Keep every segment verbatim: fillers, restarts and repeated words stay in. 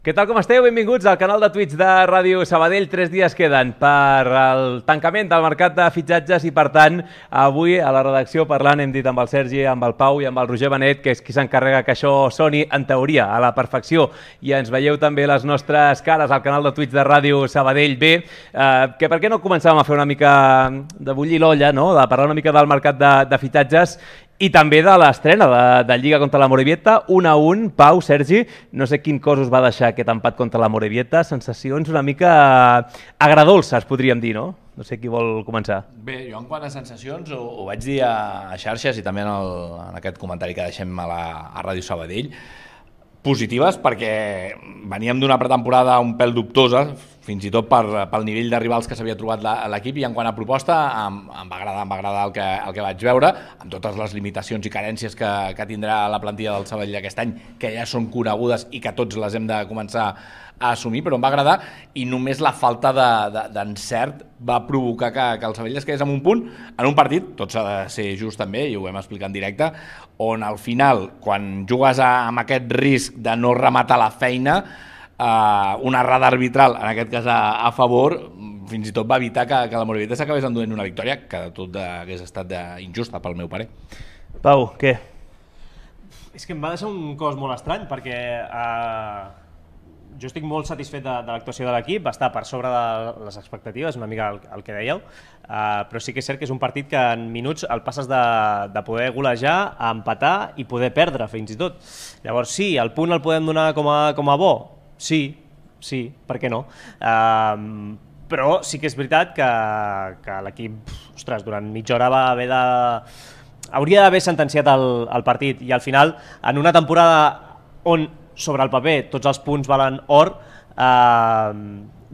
Què tal, com esteu? Benvinguts al canal de Twitch de Ràdio Sabadell. Tres dies queden per al tancament del mercat de fitxatges i, per tant, avui a la redacció parlant hem dit amb el Sergi, amb el Pau i amb el Roger Benet, que és qui s'encarrega que això soni, en teoria, a la perfecció. I ens veieu també les nostres cares al canal de Twitch de Ràdio Sabadell. Bé, eh, que per què no començàvem a fer una mica de bullir l'olla, no? De parlar una mica del mercat de, de fitxatges i també de l'estrena de, de Lliga contra la Morevieta, un a un. Pau, Sergi, no sé quin cos us va deixar aquest empat contra la Morevieta, sensacions una mica agradolces, podríem dir, no? No sé qui vol començar. Bé, jo en quant a sensacions ho, ho vaig dir a, a xarxes i també en, el, en aquest comentari que deixem a, la, a Ràdio Sabadell, positives perquè veníem d'una pretemporada un pèl dubtosa, fins i tot per, pel nivell de rivals que s'havia trobat l'equip, i en quant a proposta em, em va agradar, em va agradar el que, el que vaig veure, amb totes les limitacions i carències que, que tindrà la plantilla del Sabadell aquest any, que ja són conegudes i que tots les hem de començar a assumir, però em va agradar, i només la falta d'encert de, de, va provocar que, que el Sabadell es quedés en un punt, en un partit, tot s'ha de ser just també, i ho vam explicar en directe, on al final, quan jugues a, amb aquest risc de no rematar la feina, Uh, una errada arbitral, en aquest cas a, a favor, fins i tot va evitar que, que la Morevieta s'acabés enduent una victòria que de tot hagués estat de, injusta, pel meu parer. Pau, què? És que em va deixar un cos molt estrany, perquè uh, jo estic molt satisfet de, de l'actuació de l'equip, va estar per sobre de les expectatives, una mica el, el que dèieu, uh, però sí que és cert que és un partit que en minuts el passes de, de poder golejar a empatar i poder perdre, fins i tot. Llavors sí, el punt el podem donar com a, com a bo? Sí, sí, per què no? Um, però sí que és veritat que, que l'equip, ostres, durant mitja hora va haver de... hauria d'haver sentenciat el, el partit, i al final, en una temporada on sobre el paper tots els punts valen or, uh,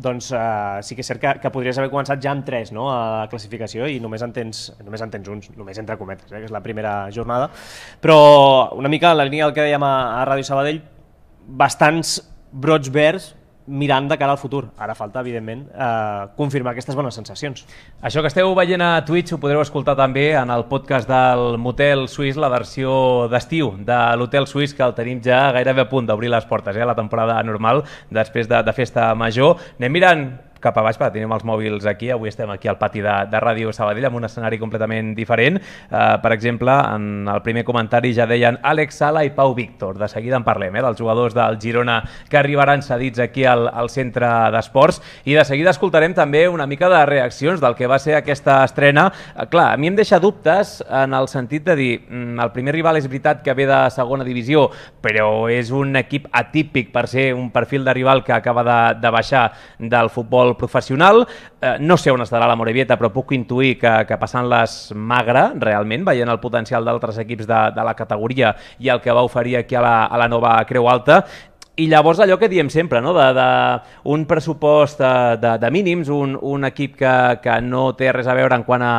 doncs uh, sí que és cert que, que podries haver començat ja amb tres, no?, a la classificació, i només en tens, només en tens uns, només entre cometes, eh, que és la primera jornada. Però una mica en la línia del que dèiem a, a Ràdio Sabadell, bastants brots verds mirant de cara al futur. Ara falta, evidentment, eh, confirmar aquestes bones sensacions. Això que esteu veient a Twitch ho podreu escoltar també en el podcast del Motel Suís, la versió d'estiu de l'Hotel Suís, que el tenim ja gairebé a punt d'obrir les portes, eh, a la temporada normal, després de, de festa major. Anem mirant cap a baix, perquè tenim els mòbils aquí. Avui estem aquí al pati de, de Ràdio Sabadell amb un escenari completament diferent. Uh, per exemple, en el primer comentari ja deien Àlex Sala i Pau Víctor. De seguida en parlem, eh, dels jugadors del Girona que arribaran cedits aquí al, al centre d'esports, i de seguida escoltarem també una mica de reaccions del que va ser aquesta estrena. Uh, clar, a mi em deixa dubtes en el sentit de dir, mm, el primer rival és veritat que ve de segona divisió, però és un equip atípic per ser un perfil de rival que acaba de, de baixar del futbol professional. Eh, no sé on estarà la Morevieta, però puc intuir que, que passant-les magre, realment, veient el potencial d'altres equips de, de la categoria i el que va oferir aquí a la, a la nova Creu Alta. I llavors allò que diem sempre, no?, de, de un pressupost de, de, de mínims, un, un equip que, que no té res a veure en quant a,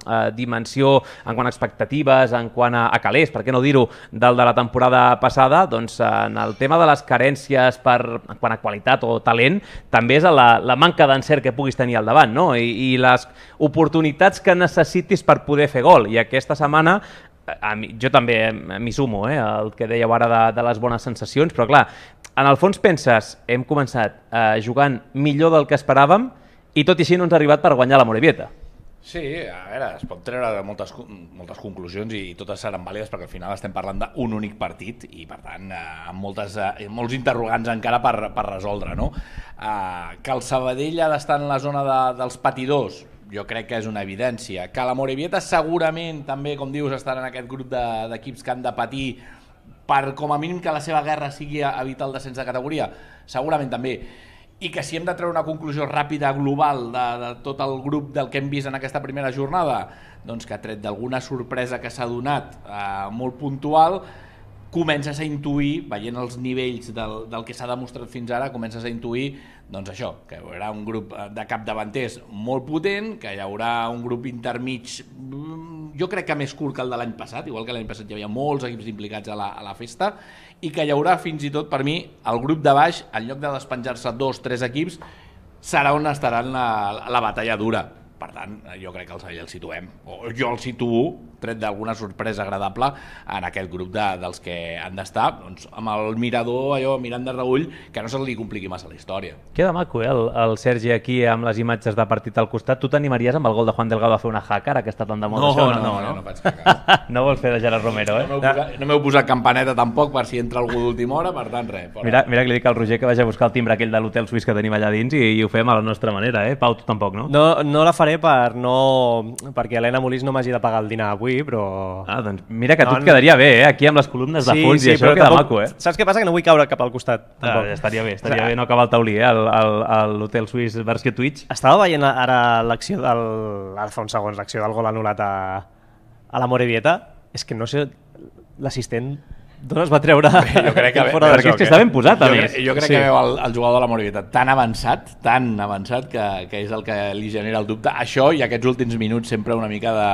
a dimensió, en quant a expectatives, en quant a, a calés, per què no dir-ho, del de la temporada passada, doncs en el tema de les carències per, en quant a qualitat o talent, també és la, la manca d'encert que puguis tenir al davant, no?, I, i les oportunitats que necessitis per poder fer gol. I aquesta setmana A mi, jo també m'hi sumo, eh, el que dèieu ara de, de les bones sensacions, però clar, en el fons penses, hem començat eh, jugant millor del que esperàvem i tot i així no ens ha arribat per guanyar la Morevieta. Sí, a veure, es pot treure moltes, moltes conclusions i totes seran vàlides perquè al final estem parlant d'un únic partit i per tant eh, amb moltes, eh, molts interrogants encara per, per resoldre, no? Eh, que el Sabadell ha d'estar en la zona de, dels patidors, jo crec que és una evidència. Que la Morevieta segurament també, com dius, estarà en aquest grup d'equips de, que han de patir per com a mínim que la seva guerra sigui evitar el descens de categoria, segurament també. I que si hem de treure una conclusió ràpida, global, de, de tot el grup del que hem vist en aquesta primera jornada, doncs que tret d'alguna sorpresa que s'ha donat eh, molt puntual, comences a intuir, veient els nivells del, del que s'ha demostrat fins ara, comences a intuir doncs això, que hi haurà un grup de capdavanters molt potent, que hi haurà un grup intermig, jo crec que més curt que el de l'any passat, igual que l'any passat hi havia molts equips implicats a la, a la festa, i que hi haurà fins i tot, per mi, el grup de baix, en lloc de despenjar-se dos, tres equips, serà on estaran la, la batalla dura. per tant, jo crec que el Sabadell el situem, o jo el situo, tret d'alguna sorpresa agradable, en aquest grup de, dels que han d'estar, doncs, amb el mirador, allò, mirant de reull, que no se li compliqui massa la història. Queda maco, eh, el, el Sergi aquí amb les imatges de partit al costat. Tu t'animaries amb el gol de Juan Delgado a fer una hacker, que està tan de moda? No, això, no, no, no, no, no faig hacker. No vols fer de Gerard Romero, eh? No m'heu posat, no m'heu posat campaneta tampoc per si entra algú d'última hora, per tant, res. Fora. Mira, mira que li dic al Roger que vagi a buscar el timbre aquell de l'hotel suís que tenim allà dins i, i ho fem a la nostra manera, eh? Pau, tu tampoc, no? No, no la faré per no... perquè Helena Molís no m'hagi de pagar el dinar avui, però... Ah, doncs mira que no, tu et quedaria bé, eh? Aquí amb les columnes de sí, fons sí, i això queda tampoc... maco, eh? Saps què passa? Que no vull caure cap al costat, tampoc. Ah, estaria bé, estaria o sigui, bé no acabar el taulí, eh? A l'hotel suís versió Twitch. Estava veient ara l'acció del... Ara fa uns segons, l'acció del gol anul·lat a, a la Morevieta. És que no sé, l'assistent d'on es va treure jo crec que fora de perquè joc, és que eh? està ben posat, a jo més. Crec, jo crec sí. que veu el, el jugador de la Morevieta tan avançat, tan avançat, que, que és el que li genera el dubte. Això i aquests últims minuts sempre una mica de,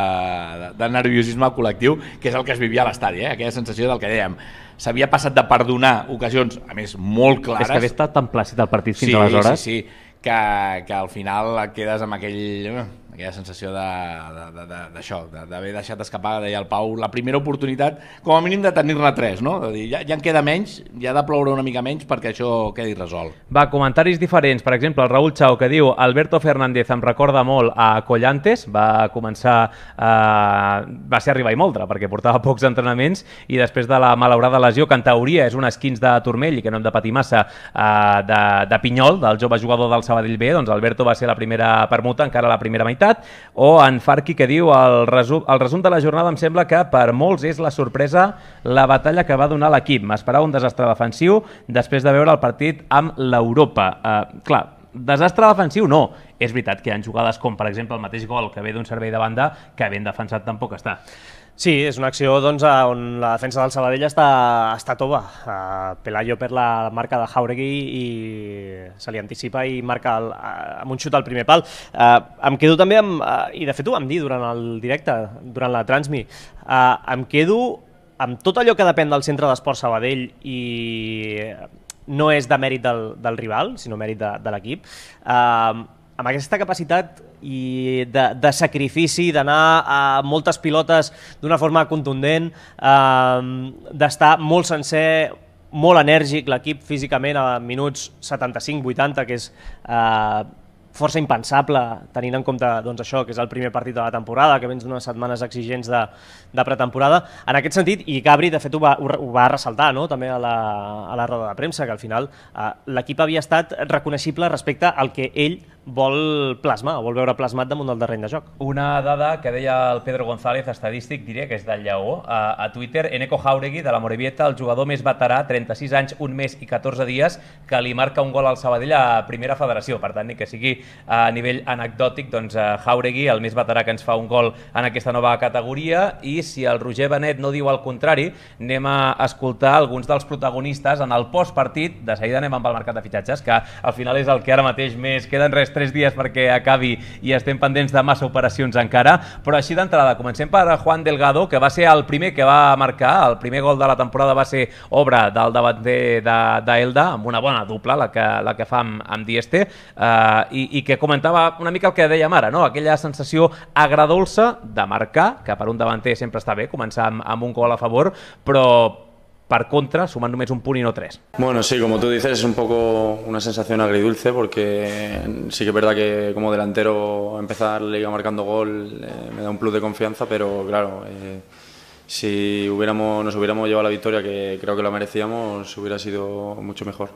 de, de nerviosisme col·lectiu, que és el que es vivia a l'estadi, eh? Aquella sensació del que dèiem. S'havia passat de perdonar ocasions, a més, molt clares. És que havia estat tan plàcid el partit fins sí, aleshores. Sí, sí, que, que al final et quedes amb aquell... aquella sensació d'això, de, de, d'haver deixat escapar, deia el Pau, la primera oportunitat, com a mínim de tenir-ne tres, no? De dir, ja, ja en queda menys, ja ha de ploure una mica menys perquè això quedi resolt. Va, comentaris diferents. Per exemple, el Raül Chao, que diu Alberto Fernández em recorda molt a Collantes, va començar, eh, va ser arribar i moldre, perquè portava pocs entrenaments, i després de la malaurada lesió, que en teoria és un esquins de turmell i que no hem de patir massa, eh, de, de Pinyol, del jove jugador del Sabadell B, doncs Alberto va ser la primera permuta, encara la primera meitat. O en Farqui, que diu el resum, el resum de la jornada em sembla que per molts és la sorpresa la batalla que va donar l'equip. M'esperava un desastre defensiu després de veure el partit amb l'Europa. Uh, clar, desastre defensiu no. És veritat que hi ha jugades com, per exemple, el mateix gol que ve d'un servei de banda que ben defensat tampoc està. Sí, és una acció doncs, on la defensa del Sabadell està, està tova. Uh, Pelayo per la marca de Jauregui i se li anticipa i marca el, uh, amb un xut al primer pal. Uh, em quedo també amb, uh, i de fet ho vam dir durant el directe, durant la Transmi, uh, em quedo amb tot allò que depèn del centre d'esport Sabadell i no és de mèrit del, del rival, sinó mèrit de, de l'equip. Uh, amb aquesta capacitat i de, de sacrifici, d'anar a moltes pilotes d'una forma contundent, eh, d'estar molt sencer, molt enèrgic l'equip físicament a minuts setanta-cinc vuitanta, que és eh, força impensable tenint en compte doncs, això, que és el primer partit de la temporada, que vens d'unes setmanes exigents de, de pretemporada. En aquest sentit, i Gabri de fet ho va, ho va ressaltar, no? També a la, a la roda de premsa, que al final eh, l'equip havia estat reconeixible respecte al que ell vol plasmar, vol veure plasmat damunt del terreny de joc. Una dada que deia el Pedro González, estadístic, diria que és del Lleó, a, a Twitter, Eneko Jauregui, de la Morevieta, el jugador més veterà, trenta-sis anys, un mes i catorze dies, que li marca un gol al Sabadell a primera federació. Per tant, ni que sigui a nivell anecdòtic, doncs Jauregui, el més veterà que ens fa un gol en aquesta nova categoria, i si el Roger Benet no diu el contrari, anem a escoltar alguns dels protagonistes en el postpartit. De seguida anem amb el mercat de fitxatges, que al final és el que ara mateix més queden res tres dies perquè acabi i estem pendents de massa operacions encara, però així d'entrada comencem per Juan Delgado, que va ser el primer que va marcar, el primer gol de la temporada va ser obra del davanter d'Elda, amb una bona dupla, la que, la que fa amb, amb Dieste, eh, i, i que comentava una mica el que dèiem ara, no? Aquella sensació agradolça de marcar, que per un davanter sempre està bé començar amb, amb un gol a favor, però par contra, suman només un punt y no tres. Bueno, sí, como tú dices, es un poco una sensación agridulce porque sí que es verdad que como delantero empezar la liga marcando gol eh, me da un plus de confianza, pero claro, eh, si hubiéramos, nos hubiéramos llevado la victoria, que creo que la merecíamos, hubiera sido mucho mejor.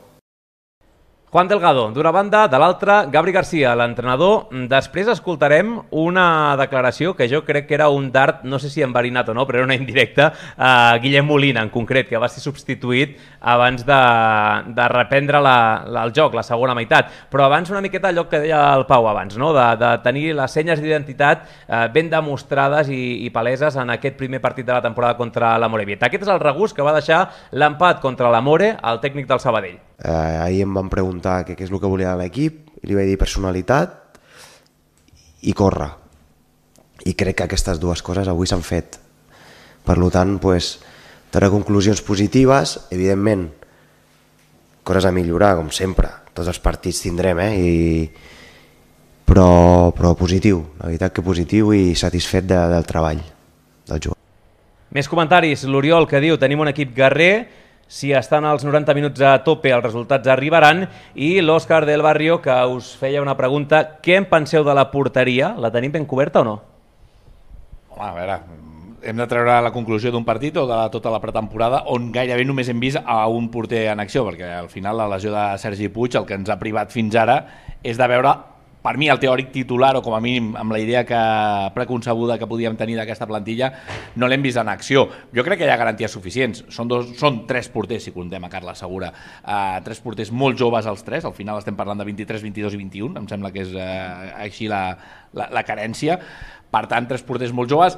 Juan Delgado, d'una banda, de l'altra, Gabri Garcia, l'entrenador. Després escoltarem una declaració que jo crec que era un dart, no sé si enverinat o no, però era una indirecta, a Guillem Molina, en concret, que va ser substituït abans de, de reprendre la, la, el joc, la segona meitat. Però abans una miqueta allò que deia el Pau abans, no? de, de tenir les senyes d'identitat eh, ben demostrades i, i paleses en aquest primer partit de la temporada contra la Morevieta. Aquest és el regust que va deixar l'empat contra la More, el tècnic del Sabadell. Eh, ahir em van preguntar què, què és el que volia l'equip i li vaig dir personalitat i córrer, i crec que aquestes dues coses avui s'han fet. Per tant, pues, treure conclusions positives, evidentment coses a millorar, com sempre, tots els partits tindrem, eh? I, però, però positiu, la veritat que positiu i satisfet de, del treball del jugador. Més comentaris. L'Oriol que diu tenim un equip guerrer, si estan als noranta minuts a tope els resultats arribaran, i l'Òscar del Barrio que us feia una pregunta, què en penseu de la porteria? La tenim ben coberta o no? Home, a veure, hem de treure la conclusió d'un partit o de la, tota la pretemporada on gairebé només hem vist a un porter en acció, perquè al final la lesió de Sergi Puig el que ens ha privat fins ara és de veure, per mi, el teòric titular, o com a mínim amb la idea que preconcebuda que podíem tenir d'aquesta plantilla, no l'hem vist en acció. Jo crec que hi ha garanties suficients. Són, dos, són tres porters, si comptem a Carles Segura. Uh, tres porters molt joves els tres, al final estem parlant de vint-i-tres, vint-i-dos i vint-i-un, em sembla que és uh, així la, la, la carència. Per tant, tres porters molt joves,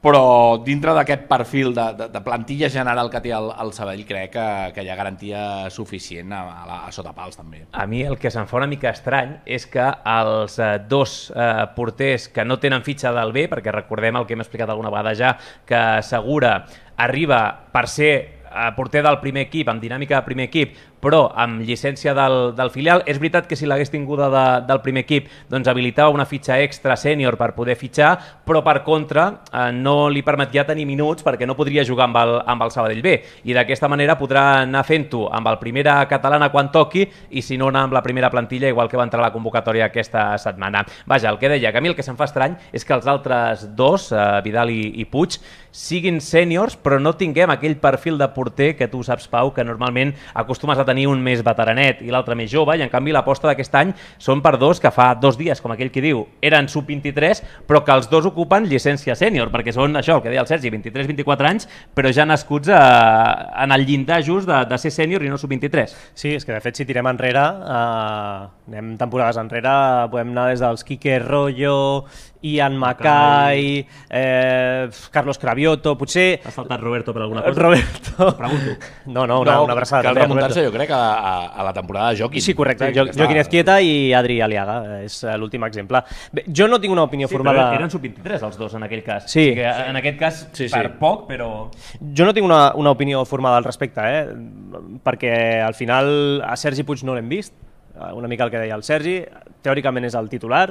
però dintre d'aquest perfil de, de, de plantilla general que té el, el Sabadell crec que, que hi ha garantia suficient a, a, la, a sota pals també. A mi el que se'm fa una mica estrany és que els eh, dos eh, porters que no tenen fitxa del B, perquè recordem el que hem explicat alguna vegada ja, que Segura arriba per ser eh, porter del primer equip, amb dinàmica de primer equip, però amb llicència del, del filial. És veritat que si l'hagués tinguda de, del primer equip doncs habilitava una fitxa extra sènior per poder fitxar, però per contra eh, no li permetia tenir minuts perquè no podria jugar amb el, amb el Sabadell B, i d'aquesta manera podrà anar fent-ho amb el primera catalana quan toqui i si no anar amb la primera plantilla igual que va entrar a la convocatòria aquesta setmana. Vaja, el que deia, que a mi el que se'm fa estrany és que els altres dos, eh, Vidal i, i Puig, siguin sèniors però no tinguem aquell perfil de porter que tu saps, Pau, que normalment acostumes a tenir un més veteranet i l'altre més jove, i en canvi l'aposta d'aquest any són per dos que fa dos dies, com aquell que diu, eren sub vint-i-tres, però que els dos ocupen llicència sènior, perquè són això, el que deia el Sergi, vint-i-tres vint-i-quatre anys, però ja nascuts a, en el llindar just de, de ser sènior i no sub vint-i-tres. Sí, és que de fet si tirem enrere, eh, anem temporades enrere, podem anar des dels Quique Rollo, Ian Mackay, eh, Carlos Cravioto, potser... Has saltat Roberto per alguna cosa? Roberto... Pregunto. No, no, una, no, una abraçada. Cal remuntar-se, jo crec, a, a, a la temporada de Joaquín. Sí, correcte. Sí, jo, Joaquín Ezquieta i Adri Aliaga, és l'últim exemple. Bé, jo no tinc una opinió sí, formada... Però eren sub vint-i-tres els dos en aquell cas. Sí. O sigui, en aquest cas, sí, sí. per poc, però... Jo no tinc una, una opinió formada al respecte, eh? Perquè al final a Sergi Puig no l'hem vist, una mica el que deia el Sergi, teòricament és el titular,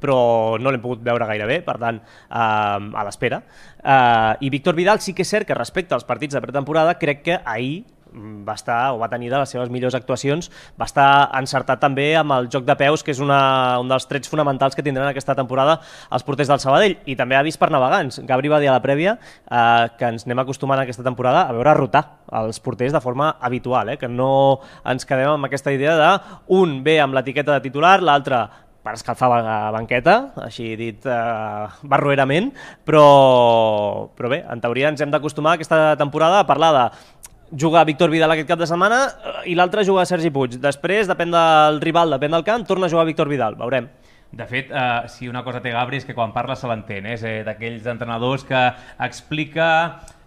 però no l'hem pogut veure gaire bé, per tant, eh, a l'espera. Eh, I Víctor Vidal sí que és cert que respecte als partits de pretemporada, crec que ahir va estar, o va tenir de les seves millors actuacions, va estar encertat també amb el joc de peus, que és una, un dels trets fonamentals que tindran aquesta temporada els porters del Sabadell, i també ha vist per navegants. Gabri va dir a la prèvia eh, que ens anem acostumant aquesta temporada a veure rotar els porters de forma habitual, eh, que no ens quedem amb aquesta idea de un ve amb l'etiqueta de titular, l'altre per escalfar la banqueta, així dit eh, barroerament, però, però bé, en teoria ens hem d'acostumar aquesta temporada a parlar de jugar Víctor Vidal aquest cap de setmana i l'altre jugar Sergi Puig. Després, depèn del rival, depèn del camp, torna a jugar Víctor Vidal, veurem. De fet, eh, si una cosa té Gabri és que quan parla se l'entén, eh? És eh, d'aquells entrenadors que explica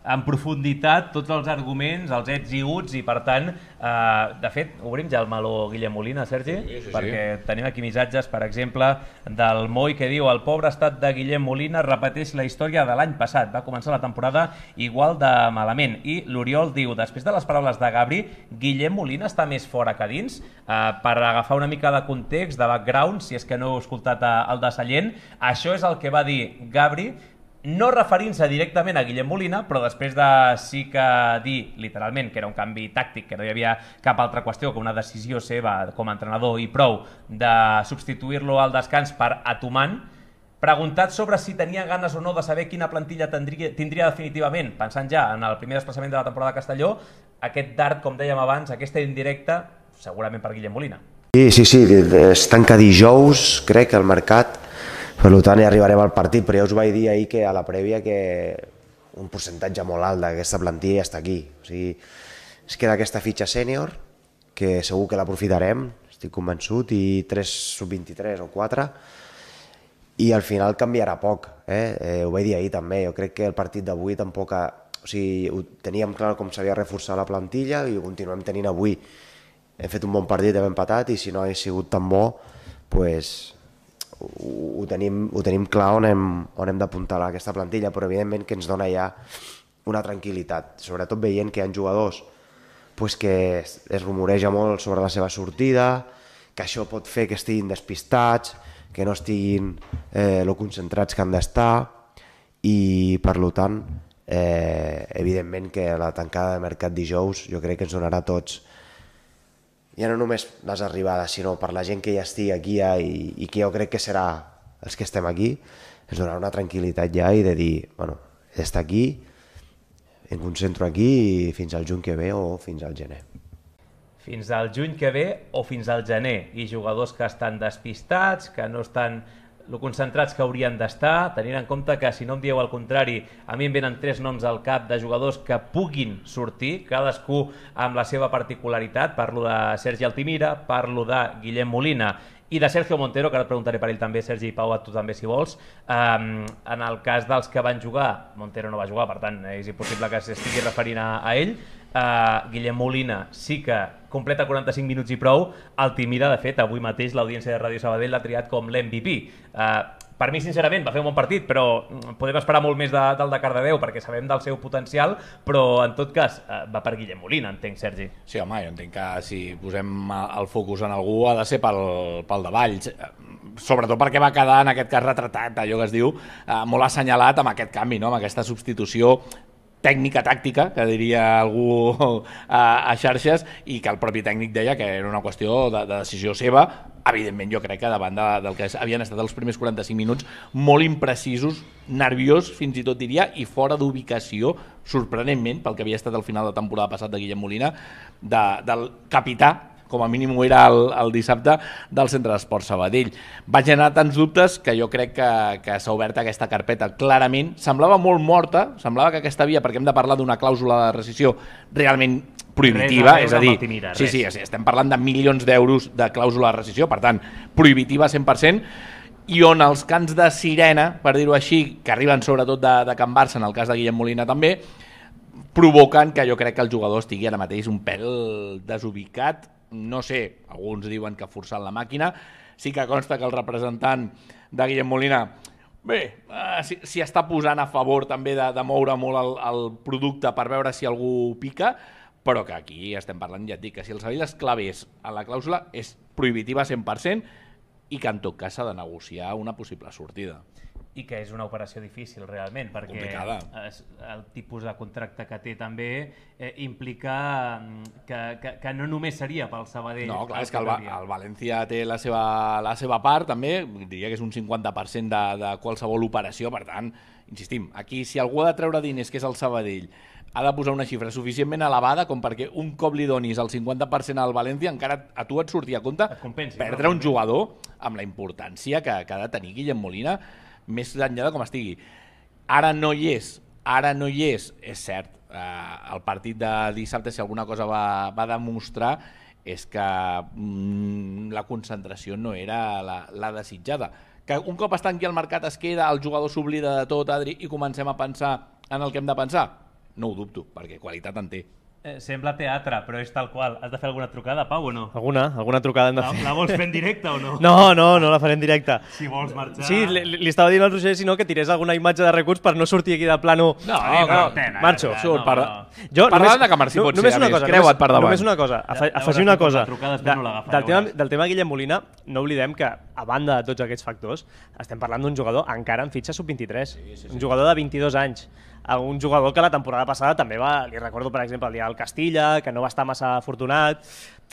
en profunditat tots els arguments, els ets i uts, i per tant, eh, de fet, obrim ja el meló Guillem Molina, Sergi, sí, sí, sí. perquè tenim aquí missatges, per exemple, del Moi que diu: el pobre estat de Guillem Molina repeteix la història de l'any passat, va començar la temporada igual de malament. I l'Oriol diu, després de les paraules de Gabri, Guillem Molina està més fora que dins. Eh, per agafar una mica de context, de background, si és que no heu escoltat el de Sallent, això és el que va dir Gabri, no referint-se directament a Guillem Molina, però després de sí que dir literalment que era un canvi tàctic, que no hi havia cap altra qüestió que una decisió seva com a entrenador i prou de substituir-lo al descans per Atuman, preguntat sobre si tenia ganes o no de saber quina plantilla tindria, tindria definitivament, pensant ja en el primer desplaçament de la temporada a Castelló, aquest dart, com dèiem abans, aquesta indirecta, segurament per Guillem Molina. Sí, sí, sí, es tanca dijous, crec, el mercat. Per tant, hi arribarem al partit, però ja us vaig dir ahir que a la prèvia que un percentatge molt alt d'aquesta plantilla està aquí. O sigui, es queda aquesta fitxa sènior, que segur que l'aprofitarem, estic convençut, i tres sub vint-i-tres o quatre, i al final canviarà poc. Eh? Eh, ho vaig dir ahir també, jo crec que el partit d'avui tampoc... Ha... O sigui, ho teníem clar com s'havia reforçat la plantilla i ho continuem tenint avui. Hem fet un bon partit, hem empatat, i si no hagués sigut tan bo, pues... Ho tenim, ho tenim clar on hem, on hem d'apuntalar aquesta plantilla, però evidentment que ens dona ja una tranquil·litat, sobretot veient que hi ha jugadors pues, que es rumoreja molt sobre la seva sortida, que això pot fer que estiguin despistats, que no estiguin eh, lo concentrats que han d'estar i per tant eh, evidentment que la tancada de mercat dijous jo crec que ens donarà a tots ja no només les arribades sinó per la gent que ja estigui aquí ja, i, i que jo crec que serà els que estem aquí, ens donarà una tranquil·litat ja i de dir, bueno, està aquí, em concentro aquí fins al juny que ve o fins al gener. Fins al juny que ve o fins al gener, i jugadors que estan despistats, que no estan lo concentrats que haurien d'estar, tenint en compte que, si no em dieu el contrari, a mi em venen tres noms al cap de jugadors que puguin sortir, cadascú amb la seva particularitat. Parlo de Sergi Altimira, parlo de Guillem Molina i de Sergio Montero, que ara et preguntaré per ell també, Sergi, i Pau, a tu també, si vols. Um, en el cas dels que van jugar, Montero no va jugar, per tant, és impossible que s'estigui referint a, a ell. Uh, Guillem Molina sí que completa quaranta-cinc minuts i prou. Altimira, de fet, avui mateix l'audiència de Ràdio Sabadell l'ha triat com l'M V P. Uh, per mi, sincerament, va fer un bon partit, però podem esperar molt més de, del de Cardedeu, perquè sabem del seu potencial, però en tot cas uh, va per Guillem Molina, entenc, Sergi. Sí, home, jo entenc que si posem el focus en algú ha de ser pel, pel de Valls, sobretot perquè va quedar en aquest cas retratat, allò que es diu, uh, molt assenyalat amb aquest canvi, no? Amb aquesta substitució tècnica tàctica, que diria algú a, a xarxes, i que el propi tècnic deia que era una qüestió de, de decisió seva. Evidentment, jo crec que davant de, del que havien estat els primers quaranta-cinc minuts, molt imprecisos, nerviós, fins i tot diria, i fora d'ubicació, sorprenentment, pel que havia estat al final de temporada passat de Guillem Molina, de, del capità, com a mínim ho era el, el dissabte, del Centre d'Esports Sabadell. Va generar tants dubtes que jo crec que, que s'ha obert aquesta carpeta clarament. Semblava molt morta, semblava que aquesta via, perquè hem de parlar d'una clàusula de rescissió realment prohibitiva, res, és a dir, Altimira, sí, sí, estem parlant de milions d'euros de clàusula de rescissió, per tant, prohibitiva cent per cent, i on els cants de sirena, per dir-ho així, que arriben sobretot de, de Can Barça, en el cas de Guillem Molina també, provoquen que jo crec que el jugador estigui ara mateix un pèl desubicat. No sé, alguns diuen que ha forçat la màquina, sí que consta que el representant de Guillem Molina bé, eh, si, si està posant a favor també de, de moure molt el, el producte per veure si algú pica, però que aquí estem parlant, ja et dic, que si el Sabadell es clavés a la clàusula és prohibitiva cent per cent i que en tot cas s'ha de negociar una possible sortida. I que és una operació difícil realment, perquè complicada. El tipus de contracte que té també eh, implica que, que, que no només seria pel Sabadell. No, clar, és que el, el València té la seva, la seva part també, diria que és un cinquanta per cent de, de qualsevol operació, per tant, insistim, aquí si algú ha de treure diners, que és el Sabadell, ha de posar una xifra suficientment elevada com perquè un cop li donis el cinquanta per cent al València encara a tu et surti a compte compensi, perdre no? un jugador amb la importància que, que ha de tenir Guillem Molina, més enllà de com estigui. Ara no hi és, ara no hi és, és cert, eh, el partit de dissabte, si alguna cosa va, va demostrar, és que mm, la concentració no era la, la desitjada. Que un cop es tanqui el mercat es queda, el jugador s'oblida de tot, Adri, i comencem a pensar en el que hem de pensar? No ho dubto, perquè qualitat en té. Eh, sembla teatre, però és tal qual. Has de fer alguna trucada, Pau, o no? Alguna, alguna trucada hem de fer. La, la vols fer en directe o no? No, no, no la faré en directe. Si vols marxar... Sí, li, li estava dient al Roger, si no, que tirés alguna imatge de recurs per no sortir aquí de plano. No, no, no, no marxo. no, Surt, no, per... no. Jo, Parlant de que Marcí no, pot ser, només a una més, cosa, creua't per davant. Només una cosa, afe, Ja, afegir ja una veuràs cosa. com la trucada De, després no l'agafa, del, ja tema, veuràs. del tema Guillem Molina, no oblidem que, a banda de tots aquests factors, estem parlant d'un jugador encara en fitxa sub vint-i-tres. Sí, sí, sí. Un jugador de vint-i-dos anys. Un jugador que la temporada passada també va, li recordo per exemple el dia del Castilla, que no va estar massa afortunat.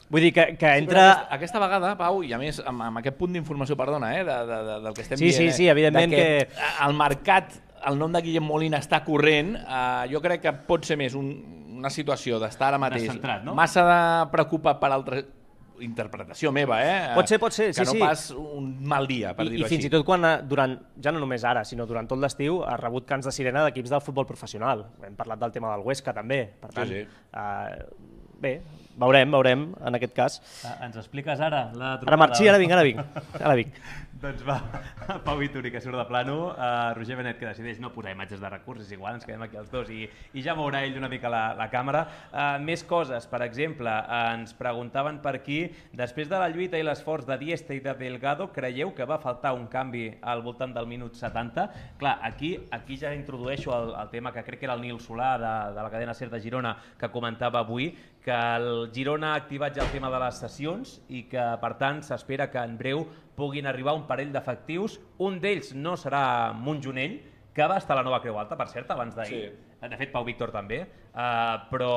Vull dir que, que entra... Sí, aquesta, aquesta vegada, Pau, i a més amb, amb aquest punt d'informació, perdona, eh, de, de, de, del que estem sí, dient, sí, sí, evidentment que, que... el mercat, el nom de Guillem Molina està corrent, eh, jo crec que pot ser més un, una situació d'estar ara mateix Descentrat, no? massa de preocupat per altres... interpretació meva, eh? Pot ser, pot ser, que sí, no sí. pas un mal dia, per I, dir-ho i així. fins i tot quan, durant, ja no només ara, sinó durant tot l'estiu, ha rebut cants de sirena d'equips del futbol professional. Hem parlat del tema del Huesca, també. Per tant, Sí, sí. Uh, bé, veurem, veurem, en aquest cas. Ah, ens expliques ara la trucada? Ara marxi, sí, ara vinc, ara vinc. Ara vinc. Doncs va, Pau Vituri, que surt de plano, uh, Roger Benet, que decideix no posar imatges de recurs, és igual, ens quedem aquí els dos, i, i ja mourà ell una mica la, la càmera. Uh, més coses, per exemple, uh, ens preguntaven per aquí, després de la lluita i l'esforç de Dieste i de Delgado, creieu que va faltar un canvi al voltant del minut setanta? Clar, aquí, aquí ja introdueixo el, el tema que crec que era el Nil Solà de, de la cadena SER de Girona, que comentava avui, que el Girona ha activat ja el tema de les sessions i que, per tant, s'espera que en breu puguin arribar un parell d'efectius. Un d'ells no serà Montjonell, que va estar a la Nova Creu Alta, per cert, abans d'ahir. Sí. De fet, Pau Víctor també. Uh, però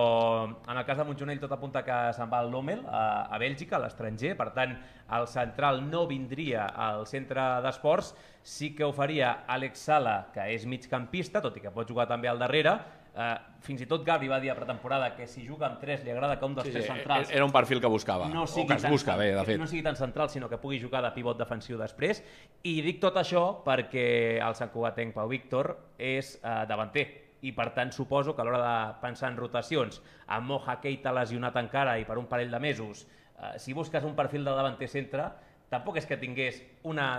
en el cas de Montjonell tot apunta que se'n va al Lommel, a, a Bèlgica, a l'estranger. Per tant, el central no vindria al centre d'esports. Sí que ho faria Àlex Sala, que és migcampista, tot i que pot jugar també al darrere. Uh, fins i tot Gabri va dir a pretemporada que si juga amb tres li agrada que un dels sí, tres centrals era un perfil que buscava, no o que es busca bé, de fet. No sigui tan central, sinó que pugui jugar de pivot defensiu després. I dic tot això perquè el santcugatenc Pau Víctor és uh, davanter i per tant suposo que a l'hora de pensar en rotacions, amb Moja Keita lesionat encara i per un parell de mesos, uh, si busques un perfil de davanter centre, tampoc és que tingués una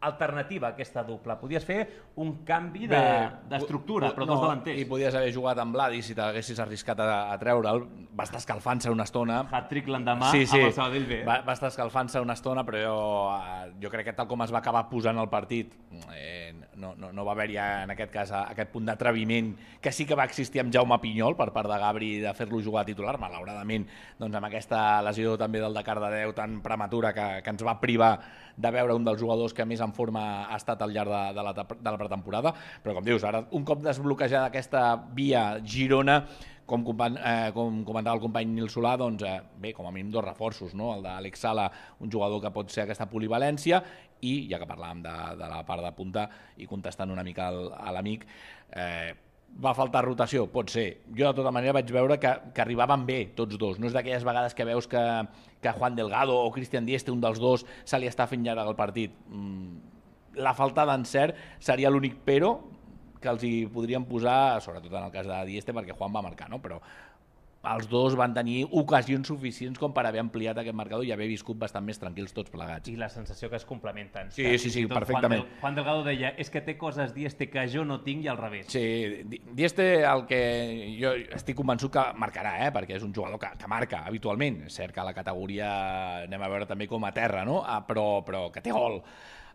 alternativa a aquesta dupla. Podies fer un canvi d'estructura, de, però dos no, davanters. I podies haver jugat amb Vladi si t'haguessis arriscat a, a treure'l. Va estar escalfant-se una estona. Hat-trick l'endemà sí, sí. amb el Sabadell B. Va, va estar escalfant-se una estona, però jo, jo crec que tal com es va acabar posant el partit, eh, no, no, no va haver-hi en aquest cas aquest punt d'atreviment que sí que va existir amb Jaume Pinyol per part de Gabri de fer-lo jugar a titular. Malauradament, doncs amb aquesta lesió també del de Cardedeu tan prematura que, que ens va privar de veure un dels jugadors que més en forma ha estat al llarg de, de, la, de la pretemporada, però com dius, ara un cop desbloquejada aquesta via Girona, com, eh, com comentava el company Nil Solà, doncs eh, bé, com a mínim dos reforços, no? El d'Àlex Sala, un jugador que pot ser aquesta polivalència, i ja que parlàvem de, de la part de punta i contestant una mica al, a l'amic, eh, va faltar rotació? Pot ser. Jo de tota manera vaig veure que, que arribaven bé tots dos. No és d'aquelles vegades que veus que, que Juan Delgado o Cristian Dieste, un dels dos, se li està fent llarg el partit. Mm, la falta d'encert seria l'únic però que els hi podríem posar, sobretot en el cas de Dieste, perquè Juan va marcar, no? Però els dos van tenir ocasions suficients com per haver ampliat aquest marcador i haver viscut bastant més tranquils tots plegats. I la sensació que es complementen. Sí, sí, sí, perfectament. Juan, Del, Juan Delgado deia, és que té coses Dieste que jo no tinc i al revés. Sí, Dieste el que jo estic convençut que marcarà, eh? Perquè és un jugador que, que marca habitualment. És cert que la categoria anem a veure també com a terra, no? Ah, però, però que té gol.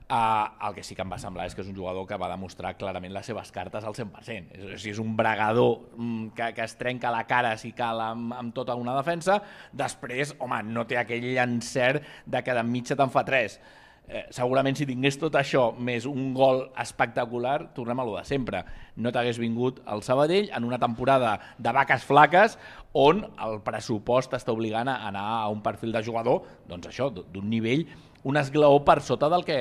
Uh, el que sí que em va semblar és que és un jugador que va demostrar clarament les seves cartes al cent per cent. És, és un bregador mm, que, que es trenca la cara si cal amb, amb tota una defensa. Després, home, no té aquell encert de que d'enmig te'n fa tres. Eh, segurament si tingués tot això més un gol espectacular, tornem a lo de sempre. No t'hagués vingut al Sabadell en una temporada de vaques flaques on el pressupost està obligant a anar a un perfil de jugador, doncs això, d'un nivell, un esglaó per sota del que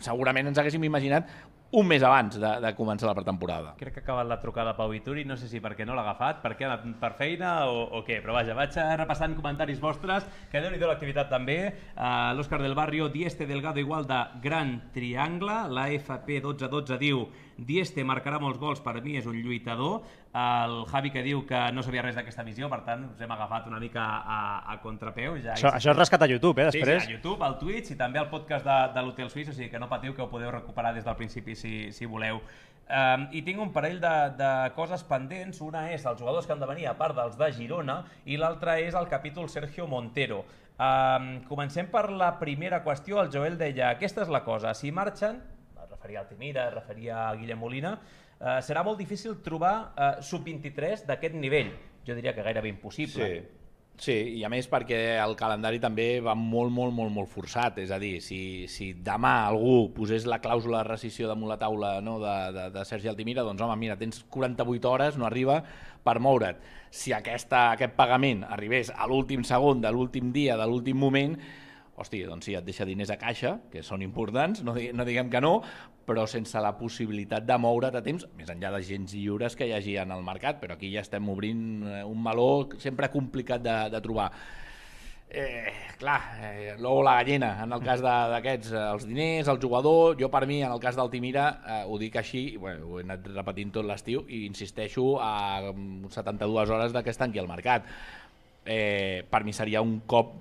segurament ens haguéssim imaginat un mes abans de, de començar la pretemporada. Crec que ha acabat la trucada Pau Vituri, no sé si perquè no l'ha agafat, perquè ha anat per feina o, o què, però vaja, vaig repassant comentaris vostres, que déu-n'hi-do l'activitat també. Uh, L'Òscar del Barrio, Dieste Delgado igual de Gran Triangle, la F P dotze dotze diu Dieste marcarà molts gols, per mi és un lluitador. El Javi que diu que no sabia res d'aquesta missió, per tant us hem agafat una mica a, a contrapeu. Ja això, això és rescat a YouTube, eh, després? Sí, sí, a YouTube, al Twitch i també al podcast de, de l'Hotel Suís, o sigui que no patiu, que ho podeu recuperar des del principi si, si voleu. Um, I tinc un parell de, de coses pendents. Una és els jugadors que han de venir a part dels de Girona i l'altra és el capítol Sergio Montero. Um, comencem per la primera qüestió. El Joel deia, aquesta és la cosa, si marxen, es referia a Altimira, es referia a Guillem Molina, uh, serà molt difícil trobar uh, sub vint-i-tres d'aquest nivell. Jo diria que gairebé impossible. Sí. Sí, i a més perquè el calendari també va molt, molt, molt, molt forçat. És a dir, si, si demà algú posés la clàusula de rescissió damunt la taula, no, de, de, de Sergi Altimira, doncs home, mira, tens quaranta-vuit hores, no arriba, per moure't. Si aquesta, aquest pagament arribés a l'últim segon de l'últim dia, de l'últim moment, hòstia, doncs sí, et deixa diners a caixa, que són importants, no, no diguem que no, però sense la possibilitat de moure't a temps, més enllà de gens lliures que hi hagi en el mercat, però aquí ja estem obrint un meló sempre complicat de, de trobar. Eh, clar, eh, l'ou o la gallina, en el cas d'aquests, els diners, el jugador. Jo per mi, en el cas d'Altimira, eh, ho dic així, bueno, ho he anat repetint tot l'estiu i insisteixo a setanta-dues hores de que es tanqui el mercat. Eh, per mi seria un cop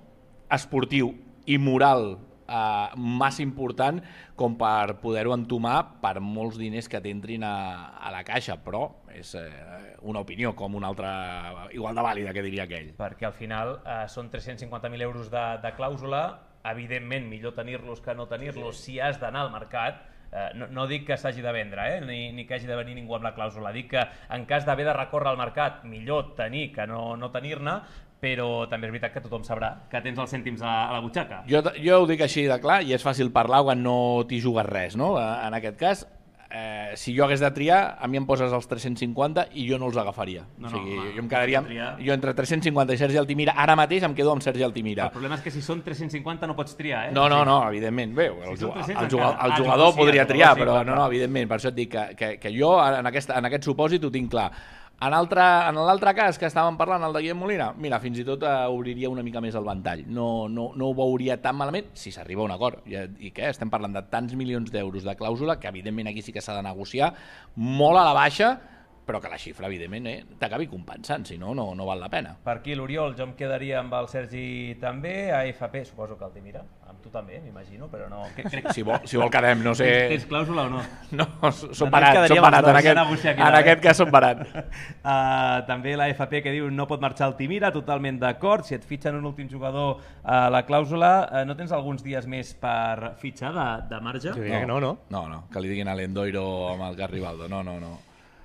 esportiu i moral eh, massa important com per poder-ho entomar per molts diners que t'entrin a, a la caixa, però és eh, una opinió com una altra igual de vàlida, que diria aquell. Perquè al final eh, són tres-cents cinquanta mil euros de, de clàusula, evidentment millor tenir-los que no tenir-los si has d'anar al mercat, Eh, no, no dic que s'hagi de vendre, eh? ni, ni que hagi de venir ningú amb la clàusula. Dic que en cas d'haver de recórrer al mercat, millor tenir que no, no tenir-ne, però també és veritat que tothom sabrà que tens els cèntims a, a la butxaca. Jo, jo ho dic així de clar i és fàcil parlar quan no t'hi jugues res, no? En aquest cas, eh, si jo hagués de triar, a mi em poses els tres-cents cinquanta i jo no els agafaria. No, o sigui, no, home, jo em quedaria... triar... Jo entre tres-cents cinquanta i Sergi Altimira, ara mateix em quedo amb Sergi Altimira. El problema és que si són tres-cents cinquanta no pots triar, eh? No, no, no, evidentment. Bé, el, Si són el, tres-cents el, jugador, encara. el Ah, jugador sí, podria el triar, jugador sí, però clar, no, clar. no, evidentment. Per això et dic que, que, que jo en aquest, en aquest supòsit ho tinc clar. En l'altre en l'altre cas que estàvem parlant, el de Guillem Molina, mira, fins i tot eh, obriria una mica més el ventall. No, no, no ho veuria tan malament si s'arriba a un acord. I, I què? Estem parlant de tants milions d'euros de clàusula que evidentment aquí sí que s'ha de negociar molt a la baixa, però que la xifra, evidentment, eh, t'acabi compensant, si no, no, no val la pena. Per aquí l'Oriol, jo em quedaria amb el Sergi també, a F P suposo que el Timira, amb tu també, m'imagino, però no... Crec... Si vol, si vol quedem, no sé... Tens clàusula o no? No, som No, barat, som barat, en aquest, en eh? aquest cas som barat. Uh, també la F P que diu no pot marxar el Timira, totalment d'acord, si et fitxen un últim jugador a la clàusula, uh, no tens alguns dies més per fitxar de, de marge? Jo diria que no, no? No, no, que li diguin a l'Endoiro amb el Garribaldo, no, no, no.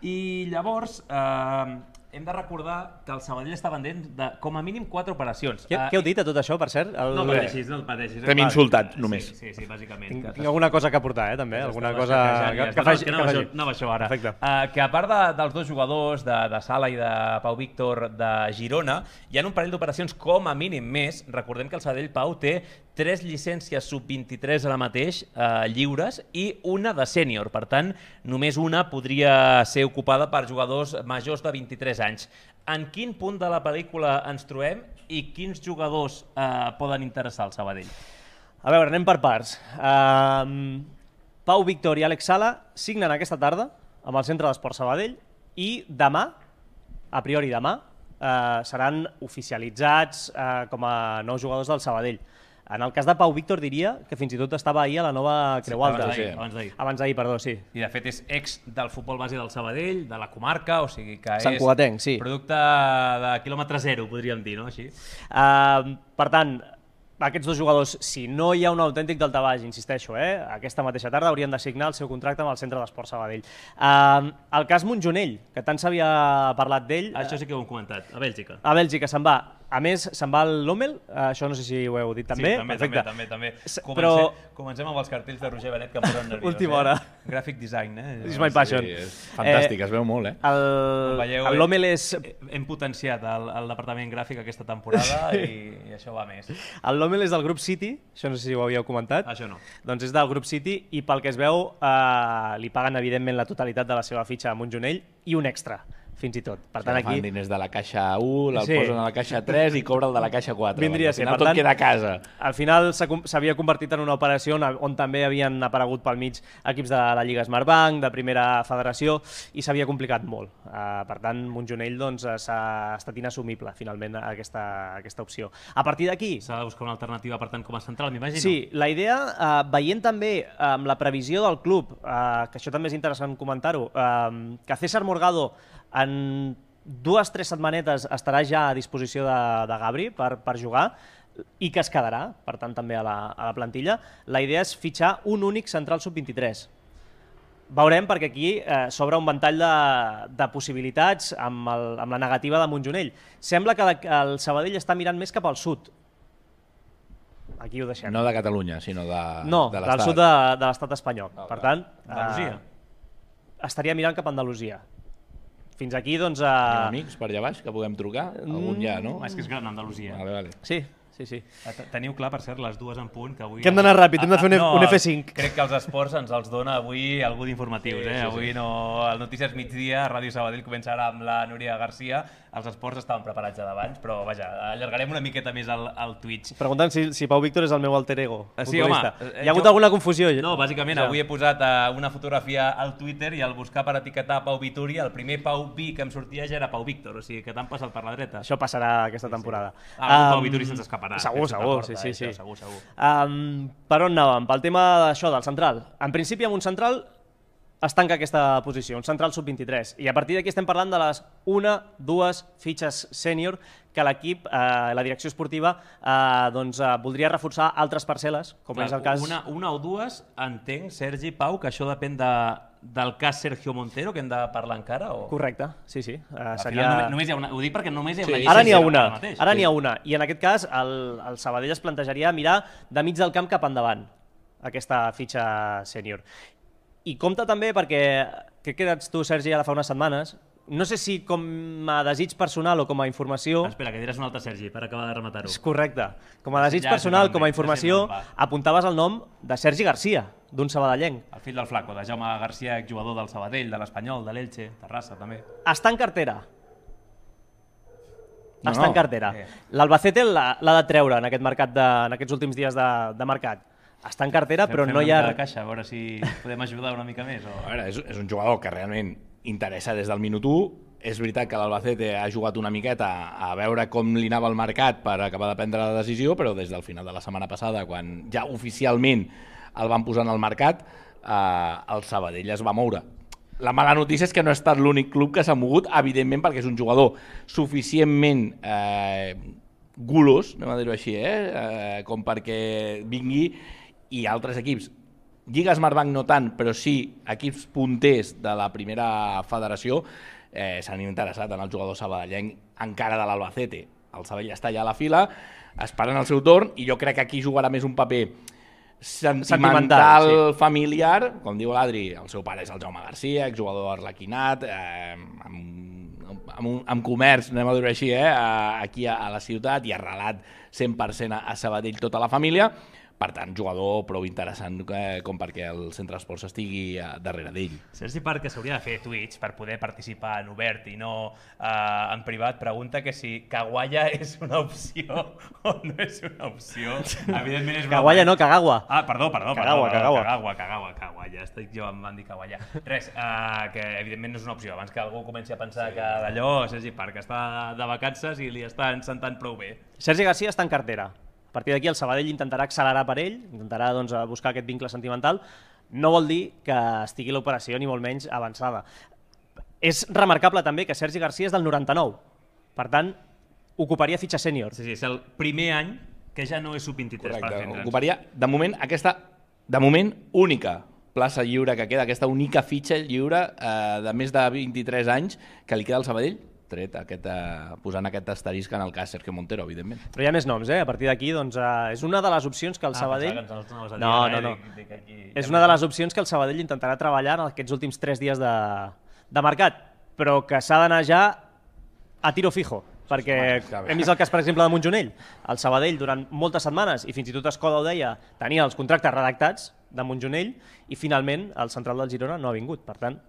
I llavors eh, hem de recordar que el Sabadell està pendent de com a mínim quatre operacions. Què, Eh, què heu dit a tot això, per cert? El... No pateixis, no et pateixis. T'hem Va, insultat, només. Sí, sí, sí bàsicament. Tinc, Que tinc alguna cosa que aportar, eh, també? Alguna cosa que, que, faci, que, que anava, faci. això, anava això ara. Perfecte. Uh, que a part de, dels dos jugadors, de, de Sala i de Pau Víctor de Girona, hi ha un parell d'operacions com a mínim més. Recordem que el Sabadell, Pau, té tres llicències sub vint-i-tres ara mateix uh, lliures i una de sènior. Per tant, només una podria ser ocupada per jugadors majors de vint-i-tres anys. En quin punt de la pel·lícula ens trobem i quins jugadors eh, poden interessar al Sabadell? A veure, anem per parts. Uh, Pau Víctor i Àlex Sala signen aquesta tarda amb el Centre d'Esport Sabadell i demà, a priori demà, uh, seran oficialitzats uh, com a nous jugadors del Sabadell. En el cas de Pau Víctor diria que fins i tot estava ahir a la nova Creu Alta. Abans d'ahir, abans d'ahir. Abans d'ahir, perdó, sí. I de fet és ex del futbol base del Sabadell, de la comarca, o sigui que és Sant Cugatenc, sí. producte de quilòmetre zero, podríem dir, no? Així. Uh, per tant, aquests dos jugadors, si no hi ha un autèntic daltabaix, insisteixo, eh, aquesta mateixa tarda haurien de signar el seu contracte amb el Centre d'Esport Sabadell. Uh, el cas Montjonell, que tant s'havia parlat d'ell... Això sí que ho hem comentat, a Bèlgica. A Bèlgica se'n va. A més, se'n va el Lommel, això no sé si ho heu dit també. Sí, també, Perfecte. també, també. S- Comencem, però- comencem amb els cartells de Roger Benet que em posen nerviós. Última eh? hora. Graphic design, eh? It's my passion. Sí, és fantàstic, eh, es veu molt, eh? El, Veieu, el eh? Lommel és... Hem potenciat el, el departament gràfic aquesta temporada i, i això va més. El Lommel és del grup City, això no sé si ho havíeu comentat. Això no. Doncs és del grup City i pel que es veu eh, li paguen evidentment la totalitat de la seva fitxa a Montjonell i un extra, fins i tot. Per tant, Fan aquí... diners de la caixa u, el Sí. posen a la caixa tres i cobra el de la caixa quatre. Vindria a Al ser, final per tot tant, queda a casa. Al final s'ha com- s'havia convertit en una operació on, on també havien aparegut pel mig equips de la Lliga Smartbank, de Primera Federació, i s'havia complicat molt. Uh, per tant, Montjonell doncs, eh, s'ha estat inassumible, finalment, aquesta, aquesta opció. A partir d'aquí... S'ha de buscar una alternativa, per tant, com a central, m'imagino. Sí, la idea, eh, veient també eh, amb la previsió del club, eh, que això també és interessant comentar-ho, eh, que César Morgado en dues o tres setmanetes estarà ja a disposició de, de Gabri per, per jugar i que es quedarà, per tant, també a la, a la plantilla, la idea és fitxar un únic central sub vint-i-tres. Veurem, perquè aquí eh, s'obre un ventall de, de possibilitats amb, el, amb la negativa de Montjonell. Sembla que la, el Sabadell està mirant més cap al sud. Aquí ho deixem. No de Catalunya, sinó de, No, de del l'Estat. sud de, de l'estat espanyol. Ah, per clar. tant, Andalusia. eh, estaria mirant cap a Andalusia. Fins aquí, doncs... Tenim Eh... amics per allà baix que puguem trucar? Algun ja, no? És que és gran Andalusia. Vale, vale. Sí, sí, sí. T- Teniu clar, per cert, les dues en punt, que avui... Que hem d'anar ràpid, hem de fer un F- un F cinc. Crec que els esports ens els dona avui algú d'informatius, Sí, eh? sí, Avui sí. no... El Notícies Migdia, Ràdio Sabadell, comença ara amb la Núria Garcia. Els esports estaven preparats ja d'abans, però vaja, allargarem una miqueta més el, el Twitch. Preguntant si, si Pau Víctor és el meu alter ego. Eh, sí, futbolista. home, eh, Hi ha hagut jo- alguna confusió? No, bàsicament, Ja. avui he posat uh, una fotografia al Twitter i al buscar per etiquetar Pau Vituri, el primer Pau Vi que em sortia ja era Pau Víctor, o sigui que t'han passat per la dreta. Això passarà aquesta temporada. Ah, algun Pau Em, Vituri se'ns escaparà. Segur, Penso que segur, porta, sí, sí, eh, sí. això, Segur, segur. Um, per on anàvem? Pel tema d'això, del central. En principi, amb un central es tanca aquesta posició, un central sub vint-i-tres. I a partir d'aquí estem parlant de les una, dues fitxes sènior que l'equip, eh, la direcció esportiva, eh, doncs, eh, voldria reforçar altres parcel·les, com Clar, és el cas... Una, una o dues, entenc, Sergi, Pau, que això depèn de, del cas Sergio Montero, que hem de parlar encara? O... Correcte, sí, sí. Eh, Al seria... final, només hi ha una, ho dic perquè només hi ha una Sí. llista Ara n'hi ha ara una, mateix. ara n'hi ha una. I en aquest cas el, el Sabadell es plantejaria mirar de mig del camp cap endavant aquesta fitxa sènior. I compta també perquè, crec que ets tu, Sergi, ara fa unes setmanes, no sé si com a desig personal o com a informació... Espera, que diràs un altre Sergi, per acabar de rematar-ho. És correcte. Com a desig Ja sé personal, com com a ve, informació, ja sé com va. apuntaves el nom de Sergi Garcia, d'un sabadellenc. El fill del Flaco, de Jaume Garcia, exjugador del Sabadell, de l'Espanyol, de l'Elche, Terrassa, també. Està en cartera. No, Està no. en cartera. Eh. L'Albacete l'ha l'ha de treure en aquest mercat de, en aquests últims dies de, de mercat. Està en cartera, però Fem no una hi ha... mica de caixa, a veure si podem ajudar una mica més. O... A veure, és, és un jugador que realment interessa des del minut u. És veritat que l'Albacete ha jugat una miqueta a veure com li anava el mercat per acabar de prendre la decisió, però des del final de la setmana passada, quan ja oficialment el van posar en el mercat, eh, el Sabadell es va moure. La mala notícia és que no ha estat l'únic club que s'ha mogut, evidentment perquè és un jugador suficientment eh, gulos, anem a dir-ho així, eh? Eh, com perquè vingui, i altres equips, Lliga Smartbank no tant, però sí equips punters de la primera federació, eh, s'han interessat en el jugador sabadellenc encara de l'Albacete. El Sabadell està allà a la fila, esperant el seu torn, i jo crec que aquí jugarà més un paper sentimental, Sentimental, sí. familiar, com diu l'Adri, el seu pare és el Jaume Garcia, exjugador arlequinat, eh, amb, amb, un, amb comerç, anem a dir-ho així, eh, aquí a, a la ciutat, i arrelat cent per cent a, a Sabadell tota la família. Per tant, jugador prou interessant eh, com perquè el Centre Esports estigui eh, darrere d'ell. Sergi Parc, que s'hauria de fer Twitch per poder participar en obert i no eh, en privat, pregunta que si Caguaya és una opció o no és una opció. Evidentment és una... Caguaya no, Cagagua. Ah, perdó, perdó. Cagagua, perdó, Cagagua. Cagagua, Cagagua, Caguaya. Estic jo, em van dir Caguaya. Res, eh, que evidentment no és una opció. Abans que algú comenci a pensar sí. que d'allò Sergi Parc està de vacances i li estan sentant prou bé. Sergi Garcia està en cartera. A partir d'aquí el Sabadell intentarà accelerar per ell, intentarà doncs, buscar aquest vincle sentimental. No vol dir que estigui l'operació ni molt menys avançada. És remarcable també que Sergi Garcia és del noranta-nou. Per tant, ocuparia fitxa sènior. Sí, sí, és el primer any que ja no és sub vint-i-tres. Correcte, per entendre'ns. ocuparia de moment aquesta, de moment, única plaça lliure que queda, aquesta única fitxa lliure eh, de més de vint-i-tres anys que li queda al Sabadell, tret aquest, eh, posant aquest asterisc en el cas Sergio Montero, evidentment. Però hi ha més noms, eh? A partir d'aquí, doncs, eh, és una de les opcions que el Ah, Sabadell... pensava que ens els anaves a dir, No, eh? no, no. Dic- dic aquí- És una de les opcions que el Sabadell intentarà treballar en aquests últims tres dies de, de mercat, però que s'ha d'anar ja a tiro fijo, perquè hem vist el cas, per exemple, de Montjonell. El Sabadell, durant moltes setmanes, i fins i tot Escoda ho deia, tenia els contractes redactats de Montjonell i finalment el central del Girona no ha vingut. Per tant,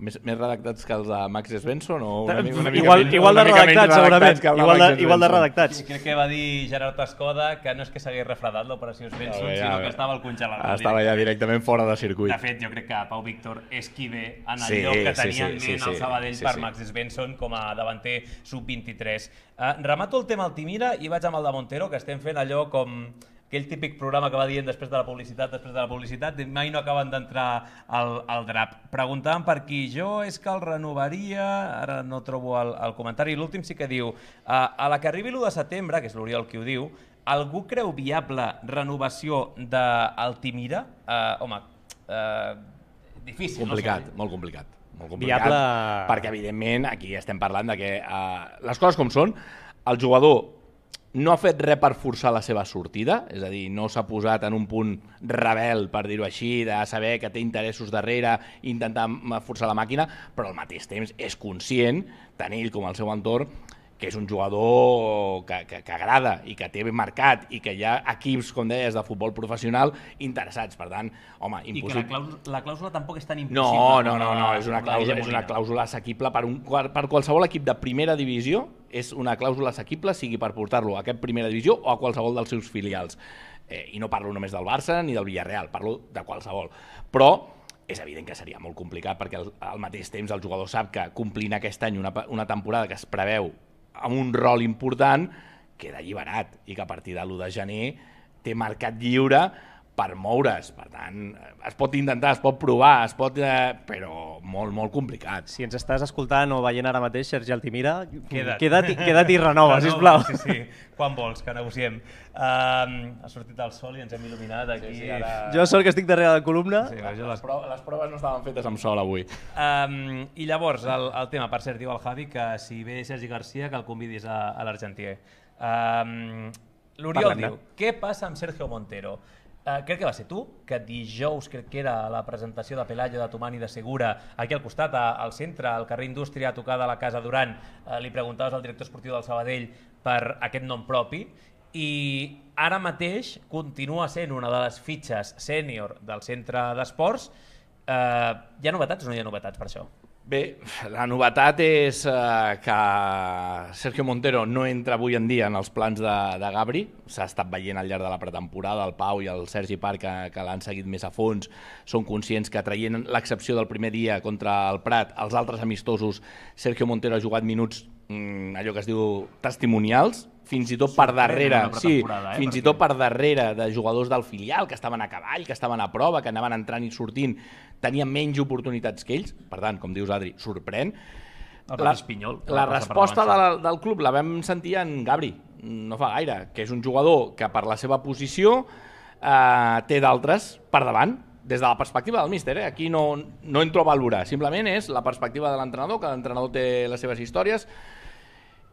Més, més redactats que els de Max Svensson? O una, mica- una mica igual, menys- igual de una mica menys redactats, segurament. que el de Igual de, Max igual de Svensson. redactats. Sí, crec que va dir Gerard Escoda que no és que s'hagués refredat l'operació Svensson, Ja, ja, sinó ja. que estava al congelador. Estava ja directament fora de circuit. De fet, jo crec que Pau Víctor és qui ve en el Sí, lloc que sí, tenia sí, en sí, ment sí, el Sabadell sí, per sí. Max Svensson com a davanter sub vint-i-tres. Uh, remato el tema Altimira i vaig amb el de Montero, que estem fent allò com aquell típic programa que va dient després de la publicitat, després de la publicitat, i mai no acaben d'entrar al, al drap. Preguntaven per qui, jo és que el renovaria, ara no trobo el, el comentari, l'últim sí que diu, uh, a la que arribi l'u de setembre, que és l'Oriol qui ho diu, algú creu viable renovació d'Altimira? Uh, home, uh, difícil. Complicat, no sé. molt complicat. Molt complicat, Viable... perquè evidentment aquí estem parlant de que uh, les coses com són, el jugador no ha fet res per forçar la seva sortida, és a dir, no s'ha posat en un punt rebel, per dir-ho així, de saber que té interessos darrere i intentar forçar la màquina, però al mateix temps és conscient, tant ell com el seu entorn, que és un jugador que, que, que agrada i que té ben marcat i que hi ha equips, com deies, de futbol professional interessats. Per tant, home, I que impossible... la clàusula, la clàusula tampoc és tan impossible. No, no, no, no, com la- és una com la clàusula, Guilla és una Molina. clàusula assequible per, un, per qualsevol equip de primera divisió, és una clàusula assequible, sigui per portar-lo a aquest primera divisió o a qualsevol dels seus filials. Eh, I no parlo només del Barça ni del Villarreal, parlo de qualsevol. Però és evident que seria molt complicat perquè al, al mateix temps el jugador sap que complint aquest any una, una temporada que es preveu amb un rol important, queda alliberat i que a partir de l'u de gener té mercat lliure per moure's. Per tant, es pot intentar, es pot provar, es pot, eh, però molt, molt complicat. Si ens estàs escoltant o veient ara mateix, Sergi Altimira, Queda't. queda't, queda't i renova, Renova, sisplau. Sí, sí. Quan vols, que negociem. Um, ha sortit el sol i ens hem il·luminat aquí. Sí, sí, ara... Jo sóc que estic darrere de la columna. Sí, Les, jo les... proves, les proves no estaven fetes amb sol avui. Um, I llavors, el, el tema, per cert, diu el Javi que si ve Sergi Garcia que el convidis a, a l'Argentier. Um, L'Oriol Parlem-ne. diu, què passa amb Sergio Montero? Uh, crec que va ser tu, que dijous crec que era la presentació de Pelayo, de Tomani, de Segura, aquí al costat, a, al centre, al carrer Indústria, a tocar de la Casa Duran, uh, li preguntaves al director esportiu del Sabadell per aquest nom propi, i ara mateix continua sent una de les fitxes sènior del centre d'esports. Uh, hi ha novetats o no hi ha novetats per això? Bé, la novetat és eh, que Sergio Montero no entra avui en dia en els plans de, de Gabri. S'ha estat veient al llarg de la pretemporada, el Pau i el Sergi Parc, que, que l'han seguit més a fons, són conscients que traient l'excepció del primer dia contra el Prat, els altres amistosos, Sergio Montero ha jugat minuts, mm, allò que es diu testimonials, fins i tot per darrere, sí, eh, fins i tot per darrere de jugadors del filial que estaven a cavall, que estaven a prova, que anaven entrant i sortint, tenien menys oportunitats que ells. Per tant, com dius, Adri, sorprèn. La, Pinyol, la resposta de la, del club la vam sentir en Gabri, no fa gaire, que és un jugador que per la seva posició eh, té d'altres per davant, des de la perspectiva del míster. Eh? Aquí no, no entro a valorar, simplement és la perspectiva de l'entrenador, que l'entrenador té les seves històries.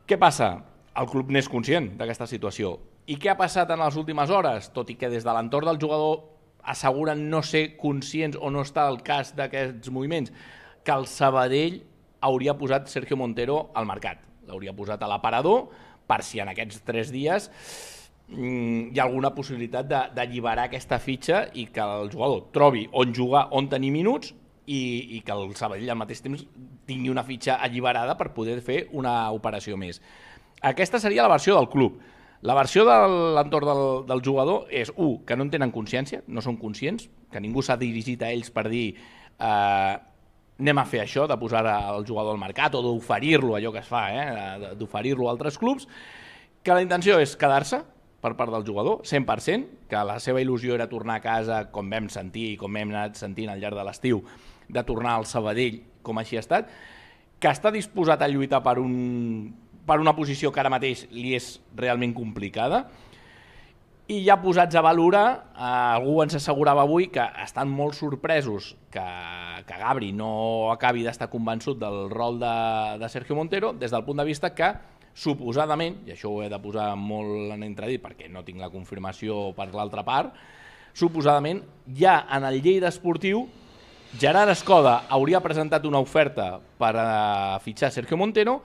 Què passa? El club n'és conscient d'aquesta situació. I què ha passat en les últimes hores? Tot i que des de l'entorn del jugador asseguren no ser conscients o no està al cas d'aquests moviments, que el Sabadell hauria posat Sergio Montero al mercat. L'hauria posat a l'aparador per si en aquests tres dies mm, hi ha alguna possibilitat d'alliberar aquesta fitxa i que el jugador trobi on jugar, on tenir minuts i, i que el Sabadell al mateix temps tingui una fitxa alliberada per poder fer una operació més. Aquesta seria la versió del club. La versió de l'entorn del, del jugador és, u, que no en tenen consciència, no són conscients, que ningú s'ha dirigit a ells per dir eh, anem a fer això, de posar el jugador al mercat o d'oferir-lo, allò que es fa, eh, d'oferir-lo a altres clubs, que la intenció és quedar-se per part del jugador, cent per cent, que la seva il·lusió era tornar a casa, com vam sentir i com hem anat sentint al llarg de l'estiu, de tornar al Sabadell, com així ha estat, que està disposat a lluitar per un... per una posició que ara mateix li és realment complicada, i ja posats a valorar, eh, algú ens assegurava avui que estan molt sorpresos que, que Gabri no acabi d'estar convençut del rol de, de Sergio Montero, des del punt de vista que, suposadament, i això ho he de posar molt en entredit perquè no tinc la confirmació per l'altra part, suposadament ja en el Lleida Esportiu Gerard Escoda hauria presentat una oferta per a fitxar Sergio Montero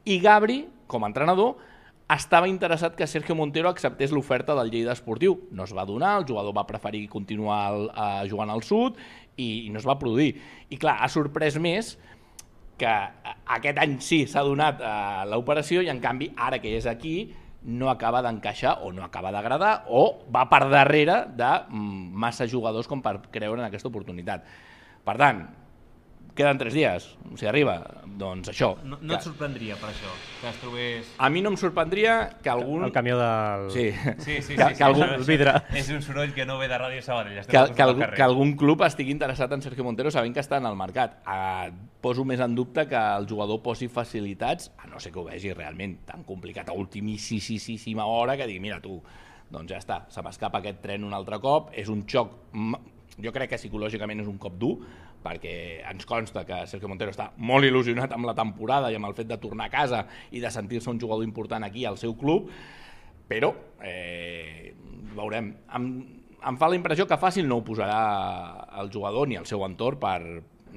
i Gabri, com a entrenador, estava interessat que Sergio Montero acceptés l'oferta del Lleida Esportiu. No es va donar, el jugador va preferir continuar el, uh, jugant al sud i, i no es va produir. I clar, ha sorprès més que aquest any sí s'ha donat uh, l'operació i en canvi ara que és aquí no acaba d'encaixar o no acaba d'agradar o va per darrere de mm, massa jugadors com per creure en aquesta oportunitat. Per tant, queden tres dies, si arriba, doncs això. No, no et sorprendria per això, que es trobés... A mi no em sorprendria que algun... El camió del... Sí, Sí, sí, sí, que, sí, que, algun... això- el vidre. És un soroll que no ve de Ràdio Sabadell. estem que, al costat que, del algú, carrer. que algun club estigui interessat en Sergio Montero sabent que està en el mercat. Eh, poso més en dubte que el jugador posi facilitats, a no ser que ho vegi realment tan complicat a ultimíssima hora que digui, mira tu, doncs ja està, se m'escapa aquest tren un altre cop, és un xoc, jo crec que psicològicament és un cop dur, perquè ens consta que Sergio Montero està molt il·lusionat amb la temporada i amb el fet de tornar a casa i de sentir-se un jugador important aquí al seu club, però eh, veurem. Em, em fa la impressió que fàcil no ho posarà el jugador ni el seu entorn per,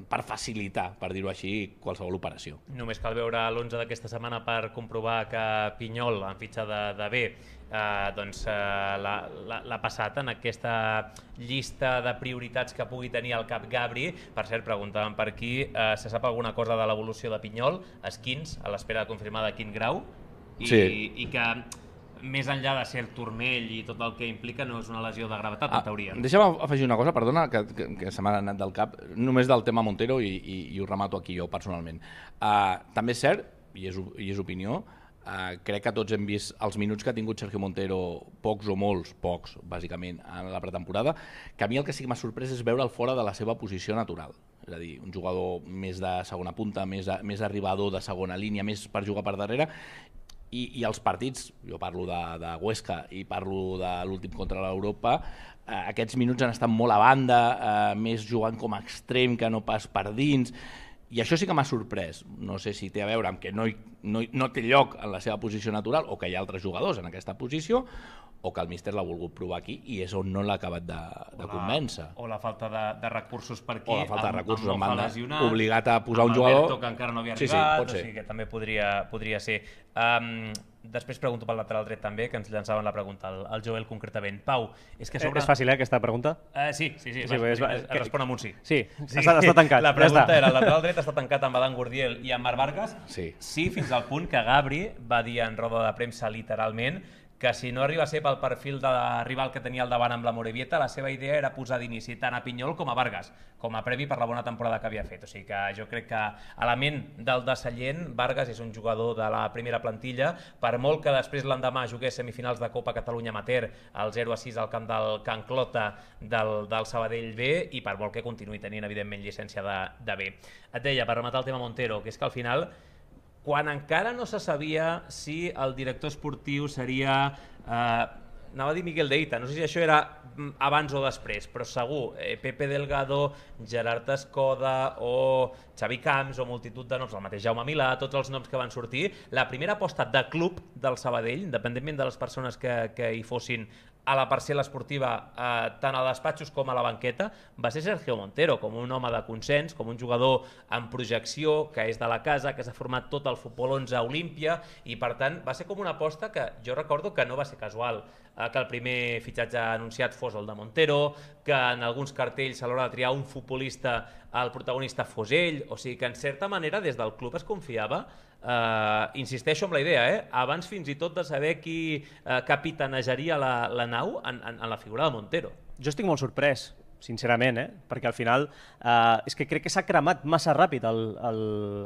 per facilitar, per dir-ho així, qualsevol operació. Només cal veure l'onze d'aquesta setmana per comprovar que Pinyol, en fitxa de, de B, eh, doncs, eh, l'ha passat en aquesta llista de prioritats que pugui tenir el cap Gabri. Per cert, preguntàvem per aquí, eh, se sap alguna cosa de l'evolució de Pinyol, esquins, a l'espera de confirmar de quin grau, i, Sí. i que més enllà de ser el turmell i tot el que implica no és una lesió de gravetat, en teoria. Ah, deixa'm afegir una cosa, perdona, que, que, que se m'ha anat del cap, només del tema Montero i, i, i ho remato aquí jo personalment. Uh, també és cert, i és, i és opinió, Uh, crec que tots hem vist els minuts que ha tingut Sergio Montero, pocs o molts, pocs, bàsicament, en la pretemporada, que a mi el que sí que m'ha sorprès és veure'l fora de la seva posició natural. És a dir, un jugador més de segona punta, més, de, més arribador de segona línia, més per jugar per darrere, i, i els partits, jo parlo de, de Huesca i parlo de l'últim contra l'Europa, eh, aquests minuts han estat molt a banda, eh, més jugant com a extrem que no pas per dins, i això sí que m'ha sorprès. No sé si té a veure amb que no, no, no té lloc en la seva posició natural o que hi ha altres jugadors en aquesta posició o que el míster l'ha volgut provar aquí i és on no l'ha acabat de, de convèncer. O la falta de, de recursos per aquí. O la falta de recursos, amb, amb banda, obligat a posar un jugador... Alberto, que encara no havia sí, arribat, sí, pot ser. O sigui que també podria, podria ser. Um, després pregunto pel lateral dret també, que ens llançaven la pregunta, el, el Joel concretament. Pau, és que sobre... Eh, és fàcil, eh, aquesta pregunta? Uh, sí, sí, sí, sí, sí es, és, es, es respon amb un sí. Sí, sí. Està, està tancat. La pregunta ja era, el lateral dret està tancat amb Adam Gurdiel i amb Marc Vargas? Sí. Sí, fins al punt que Gabri va dir en roda de premsa literalment que si no arriba a ser pel perfil de rival que tenia al davant amb la Morevieta, la seva idea era posar d'inici tant a Pinyol com a Vargas, com a premi per la bona temporada que havia fet. O sigui que jo crec que a la ment del de Sallent, Vargas és un jugador de la primera plantilla, per molt que després l'endemà jugués semifinals de Copa Catalunya Amateur, al zero a sis al camp del Can Clota del, del Sabadell B, i per molt que continuï tenint, evidentment, llicència de, de B. Et deia, per rematar el tema Montero, que és que al final, quan encara no se sabia si el director esportiu seria, eh, anava a dir Miguel Deita, no sé si això era abans o després, però segur, eh, Pepe Delgado, Gerard Escoda o Xavi Camps o multitud de noms, el mateix Jaume Milà, tots els noms que van sortir, la primera aposta de club del Sabadell, independentment de les persones que, que hi fossin a la parcel·la esportiva, eh, tant a despatxos com a la banqueta, va ser Sergio Montero, com un home de consens, com un jugador amb projecció, que és de la casa, que s'ha format tot el futbol onze a Olímpia, i per tant va ser com una aposta que jo recordo que no va ser casual, eh, que el primer fitxatge anunciat fos el de Montero, que en alguns cartells a l'hora de triar un futbolista el protagonista fos ell, o sigui que en certa manera des del club es confiava. Uh, insisteixo amb la idea, eh? abans fins i tot de saber qui uh, capitanejaria la, la nau en, en, en la figura de Montero. Jo estic molt sorprès, sincerament, eh? perquè al final uh, és que crec que s'ha cremat massa ràpid el, el,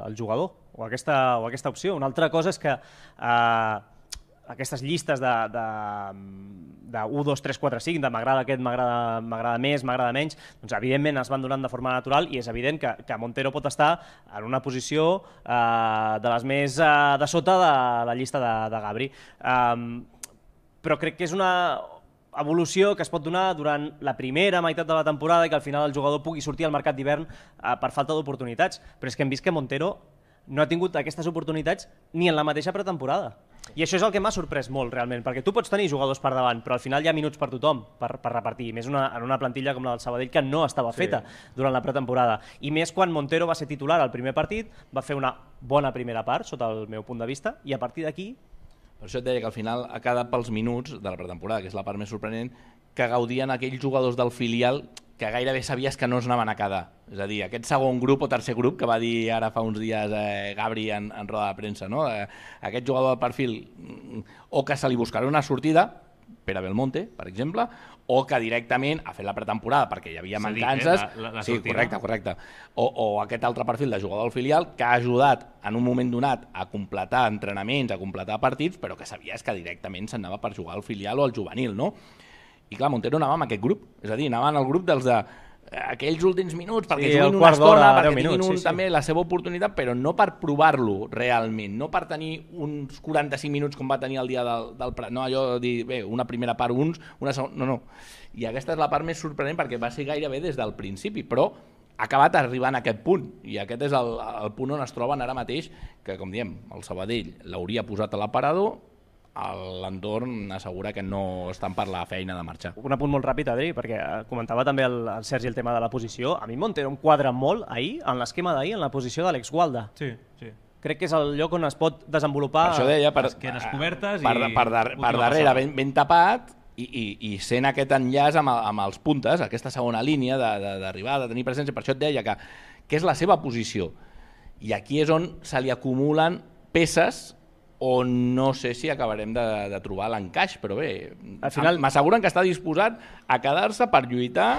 el jugador o aquesta, o aquesta opció. Una altra cosa és que uh, aquestes llistes de, de, de u, dos, tres, quatre, cinc, de m'agrada aquest, m'agrada més, m'agrada menys, doncs evidentment es van donant de forma natural i és evident que, que Montero pot estar en una posició eh, de les més eh, de sota de la llista de, de Gabri. Um, però crec que és una evolució que es pot donar durant la primera meitat de la temporada i que al final el jugador pugui sortir al mercat d'hivern eh, per falta d'oportunitats. Però és que hem vist que Montero no ha tingut aquestes oportunitats ni en la mateixa pretemporada. I això és el que m'ha sorprès molt, realment, perquè tu pots tenir jugadors per davant, però al final hi ha minuts per tothom per, per repartir, més una, en una plantilla com la del Sabadell que no estava feta sí. durant la pretemporada. I més quan Montero va ser titular al primer partit, va fer una bona primera part, sota el meu punt de vista, i a partir d'aquí... Per això et deia que al final ha quedat pels minuts de la pretemporada, que és la part més sorprenent, que gaudien aquells jugadors del filial que gairebé sabies que no es anaven a quedar. És a dir, aquest segon grup o tercer grup que va dir ara fa uns dies eh, Gabri en, en roda de premsa, no? Eh, aquest jugador del perfil o que se li buscarà una sortida, Pere Belmonte, per exemple, o que directament ha fet la pretemporada perquè hi havia mancances. Eh? La, la sí, correcte, correcte. O, o aquest altre perfil de jugador del filial que ha ajudat en un moment donat a completar entrenaments, a completar partits, però que sabies que directament s'anava per jugar al filial o al juvenil, no? I clar, Montero anava amb aquest grup, és a dir, anava en el grup dels de aquells últims minuts, perquè sí, juguin una estona, perquè tinguin un, sí, sí. també la seva oportunitat, però no per provar-lo realment, no per tenir uns quaranta-cinc minuts com va tenir el dia del, del Prat, no allò de dir, bé, una primera part uns, una segona, no, no. I aquesta és la part més sorprenent perquè va ser gairebé des del principi, però ha acabat arribant a aquest punt, i aquest és el, el punt on es troben ara mateix, que com diem, el Sabadell l'hauria posat a l'aparador, l'entorn assegura que no estan per la feina de marxar. Un apunt molt ràpid, Adri, perquè comentava també el, el Sergi el tema de la posició. A mi Montero em quadra molt ahir, en l'esquema d'ahir, en la posició d'Àlex Gualda. Sí, sí. Crec que és el lloc on es pot desenvolupar... Per això deia, per, esquenes cobertes per, i... per, dar, per darrere ben, ben tapat i, i, i sent aquest enllaç amb, amb els puntes, aquesta segona línia d'arribar, de, de, de tenir presència. Per això et deia que, que és la seva posició. I aquí és on se li acumulen peces on no sé si acabarem de, de trobar l'encaix, però bé, al final m'asseguren que està disposat a quedar-se per lluitar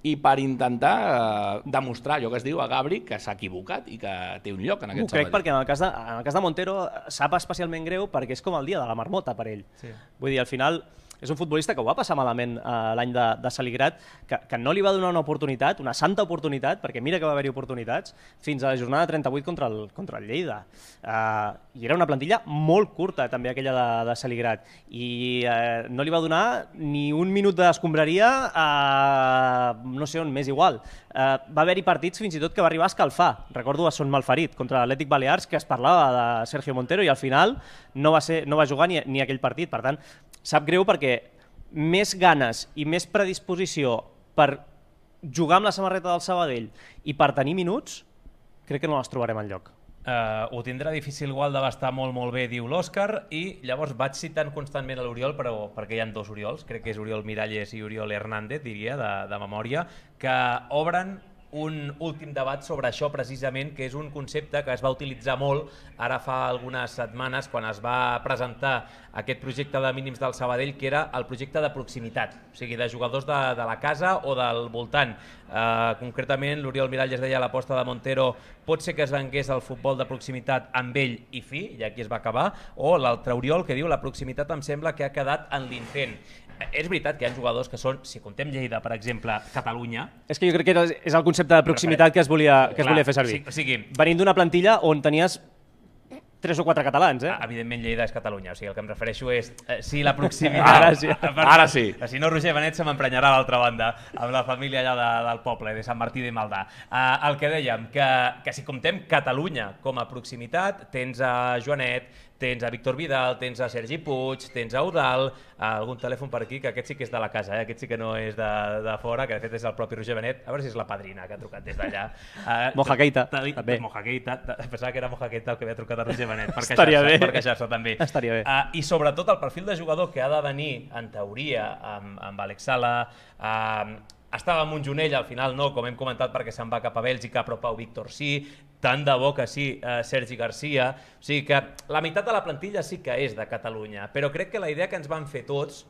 i per intentar eh, demostrar allò que es diu a Gabri que s'ha equivocat i que té un lloc en aquest Ho crec Sabadell. perquè en el, cas de, en el cas de Montero sap especialment greu perquè és com el dia de la marmota per ell. Sí. Vull dir, al final és un futbolista que ho va passar malament eh, l'any de, de Saligrat, que, que no li va donar una oportunitat, una santa oportunitat, perquè mira que va haver-hi oportunitats, fins a la jornada trenta-vuit contra el, contra el Lleida. Eh, I era una plantilla molt curta, també, aquella de, de Saligrat. I eh, no li va donar ni un minut d'escombraria a no sé on, més igual. Eh, va haver-hi partits fins i tot que va arribar a escalfar. Recordo a Son Malferit contra l'Atlètic Balears, que es parlava de Sergio Montero i al final no va, ser, no va jugar ni, ni aquell partit. Per tant, sap greu perquè més ganes i més predisposició per jugar amb la samarreta del Sabadell i per tenir minuts, crec que no les trobarem enlloc. Uh, ho tindrà difícil igual d'abastar molt molt bé, diu l'Òscar, i llavors vaig citant constantment a l'Oriol, però perquè hi ha dos Oriols, crec que és Oriol Miralles i Oriol Hernández, diria, de, de memòria, que obren un últim debat sobre això precisament, que és un concepte que es va utilitzar molt ara fa algunes setmanes quan es va presentar aquest projecte de mínims del Sabadell, que era el projecte de proximitat, o sigui, de jugadors de, de la casa o del voltant. Uh, concretament, l'Oriol Miralles deia l'aposta de Montero pot ser que es vengués el futbol de proximitat amb ell i fi, i aquí es va acabar, o l'altre Oriol que diu la proximitat em sembla que ha quedat en l'intent. És veritat que hi ha jugadors que són, si contem Lleida, per exemple, Catalunya... És que jo crec que és el concepte de proximitat que es volia, que es volia fer servir. O sigui, venint d'una plantilla on tenies tres o quatre catalans, eh? Evidentment Lleida és Catalunya, o sigui, el que em refereixo és eh, si la proximitat... Ara sí, ara sí. Si no, Roger Benet se m'emprenyarà a l'altra banda, amb la família allà de, del poble, de Sant Martí de Maldà. Uh, el que dèiem, que, que si comptem Catalunya com a proximitat, tens a Joanet, tens a Víctor Vidal, tens a Sergi Puig, tens a Eudal, algun telèfon per aquí, que aquest sí que és de la casa, eh? Aquest sí que no és de, de fora, que de fet és el propi Roger Benet, a veure si és la padrina que ha trucat des d'allà. Uh, Moja Keita, també. Moja Keita, pensava que era Moja Keita el que havia trucat a Roger Benet, per Estaria queixar-se, bé. per queixar-se també. Estaria bé. Uh, I sobretot el perfil de jugador que ha de venir, en teoria, amb, amb Àlex Sala, uh, estava amb un Junell, al final no, com hem comentat, perquè se'n va cap a Bèlgica, però Pau Víctor sí, tant de bo que sí, eh, Sergi Garcia, o sigui que la meitat de la plantilla sí que és de Catalunya, però crec que la idea que ens van fer tots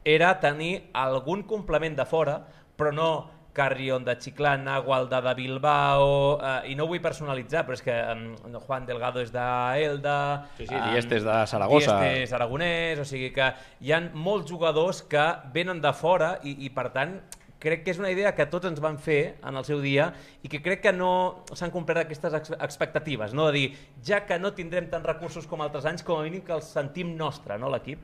era tenir algun complement de fora, però no Carrion de Chiclana, Gualda de Bilbao, eh, i no ho vull personalitzar, però és que eh, Juan Delgado és d'Elda, sí, sí, Dieste és de Saragossa, Dieste és aragonès, o sigui que hi ha molts jugadors que venen de fora i, i per tant, crec que és una idea que tots ens van fer en el seu dia i que crec que no s'han complert aquestes expectatives, no? De dir, ja que no tindrem tants recursos com altres anys, com a mínim que els sentim nostre, no, l'equip?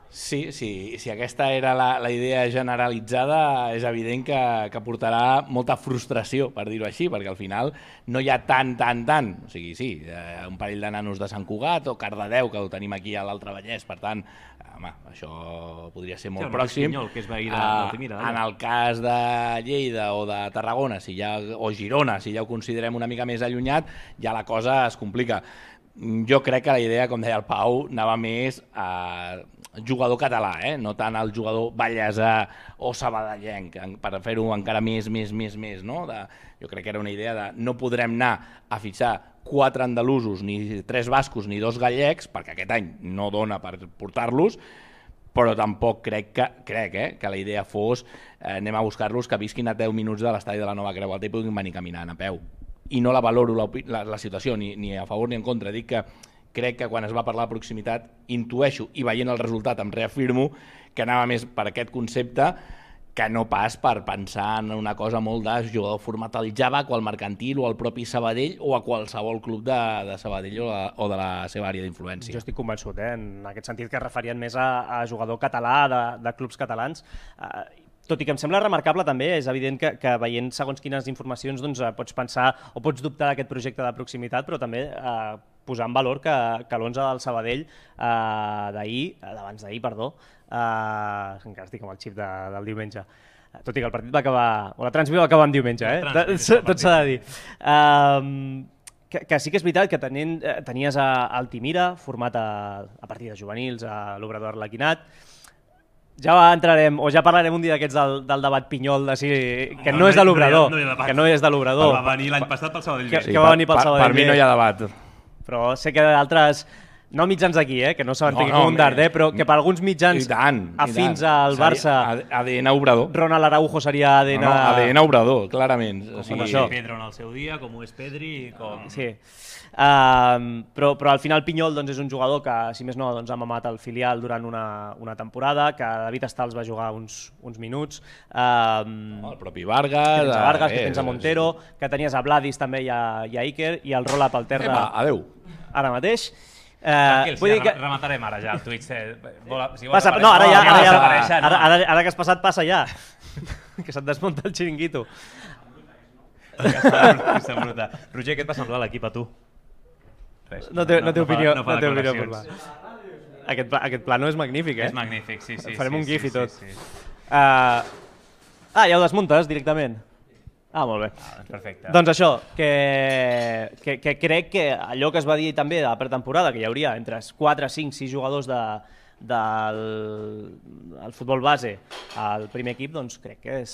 Sí, sí, si aquesta era la, la idea generalitzada, és evident que, que portarà molta frustració, per dir-ho així, perquè al final no hi ha tant, tant, tant. O sigui, sí, eh, un parell de nanos de Sant Cugat o Cardedeu, que ho tenim aquí a l'Altre Vallès, per tant, home, això podria ser molt sí, pròxim. Pinyol, que és veí de, uh, Altimira, en el cas de Lleida o de Tarragona, si ja, o Girona, si ja ho considerem una mica més allunyat, ja la cosa es complica. Jo crec que la idea, com deia el Pau, anava més a jugador català, eh? No tant al jugador ballesà o sabadellenc, per fer-ho encara més, més, més, més, no? De, jo crec que era una idea de no podrem anar a fitxar quatre andalusos, ni tres bascos, ni dos gallecs, perquè aquest any no dona per portar-los, però tampoc crec que, crec, eh, que la idea fos eh, anem a buscar-los que visquin a deu minuts de l'estadi de la Nova Creu Alta i puguin venir caminant a peu. I no la valoro la, la, la situació, ni, ni a favor ni en contra. Dic que crec que quan es va parlar de proximitat intueixo, i veient el resultat em reafirmo, que anava més per aquest concepte que no pas per pensar en una cosa molt de jugador format al Javac o al Mercantil o al propi Sabadell o a qualsevol club de, de Sabadell o, la, o de la seva àrea d'influència. Jo estic convençut, eh, en aquest sentit que es referien més a, a jugador català de, de clubs catalans. Uh, Tot i que em sembla remarcable també, és evident que, que veient segons quines informacions doncs, pots pensar o pots dubtar d'aquest projecte de proximitat, però també eh, posar en valor que, que l'onze del Sabadell eh, d'ahir, d'abans d'ahir, perdó, eh, encara estic amb el xip de, del diumenge, tot i que el partit va acabar, o la transmissió va acabar en diumenge, eh? Tot s'ha de dir. Um, que, que sí que és veritat que tenien, tenies a Altimira, format a, a partir de juvenils, a l'Obrador Arlequinat. Ja entrarem, o ja parlarem un dia d'aquests del, del debat Pinyol, de si, que no, no és de l'Obrador, no que no és de l'Obrador. Va venir l'any passat pel Sabadell. Que, sí, que va venir pel per, Sabadell. Per mi no hi ha debat. Però sé que altres no mitjans d'aquí, eh, que no s'aventegui No, no, com un dard, home. eh, però que per alguns mitjans I tant, i afins tant. al Barça, Seria A D N obrador. Ronald Araujo seria A D N... No, no, A D N obrador, clarament. O Com sigui, va ser Pedro en el seu dia, com ho és Pedri, com... Sí. Uh, però, però al final Pinyol doncs, és un jugador que, si més no, doncs, ha mamat el filial durant una, una temporada, que David Stals va jugar uns, uns minuts, uh, no, el propi Vargas... que tens a Vargas, eh, que tens a Montero, que tenies a Vladis també i a, i a Iker, i el roll-up al terra Epa, adeu. ara mateix. Uh, Tranquils, vull ja dir que... rematarem ara ja el Twitch. Eh. Vol, si Passa, aparèixer- no, ara ja, ja ara, ja, vas aparèixer, no? ara, ara, ara que has passat, passa ja. Que se't desmunta el xiringuito. Aquesta bruta. Roger, què et va semblar l'equip a tu? Res. No té, no té fa- opinió, no no, fa té opinió per declaracions. va. Aquest, pla, aquest plano és magnífic, eh? És magnífic, sí, sí. Farem sí, un gif sí, i tot. Sí, sí. Uh, ah, ja ho desmuntes directament? Ah, molt bé. Ah, doncs perfecte. Doncs això, que, que, que crec que allò que es va dir també de la pretemporada, que hi hauria entre quatre, cinc, sis jugadors de, del el futbol base al primer equip, doncs crec que és,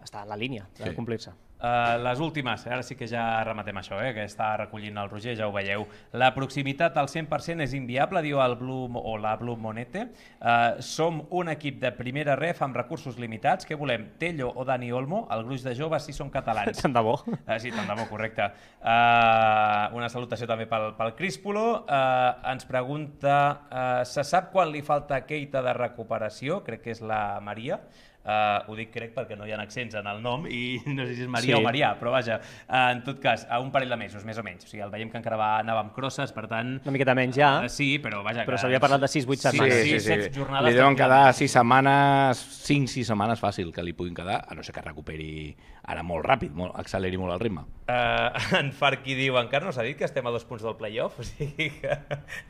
està en la línia de Sí. complir-se. Uh, les últimes, ara sí que ja rematem això, eh, que està recollint el Roger, ja ho veieu. La proximitat al cent per cent és inviable, diu el Blue, o la Blue Monete. Uh, som un equip de primera ref amb recursos limitats. Què volem? Tello o Dani Olmo? El gruix de joves sí són catalans. Tant de bo. Uh, sí, tant de bo, correcte. Uh, una salutació també pel, pel Críspolo. Uh, ens pregunta, uh, se sap quan li falta Keita de recuperació? Crec que és la Maria. Uh, ho dic crec perquè no hi ha accents en el nom i no sé si és Maria Sí. o Marià, però vaja, uh, en tot cas, a un parell de mesos, més o menys. O sigui, el veiem que encara va, anava amb crosses, per tant... Una miqueta menys ja, Uh, sí, però vaja... però que- s'havia parlat de sis vuit Sí, setmanes. sí, set jornades Li deuen tranquil·lament. quedar sis setmanes, cinc sis setmanes fàcil que li puguin quedar, a no ser que recuperi ara molt ràpid, molt, acceleri molt el ritme. Uh, en Farqui diu, encara no s'ha dit que estem a dos punts del playoff, o sigui que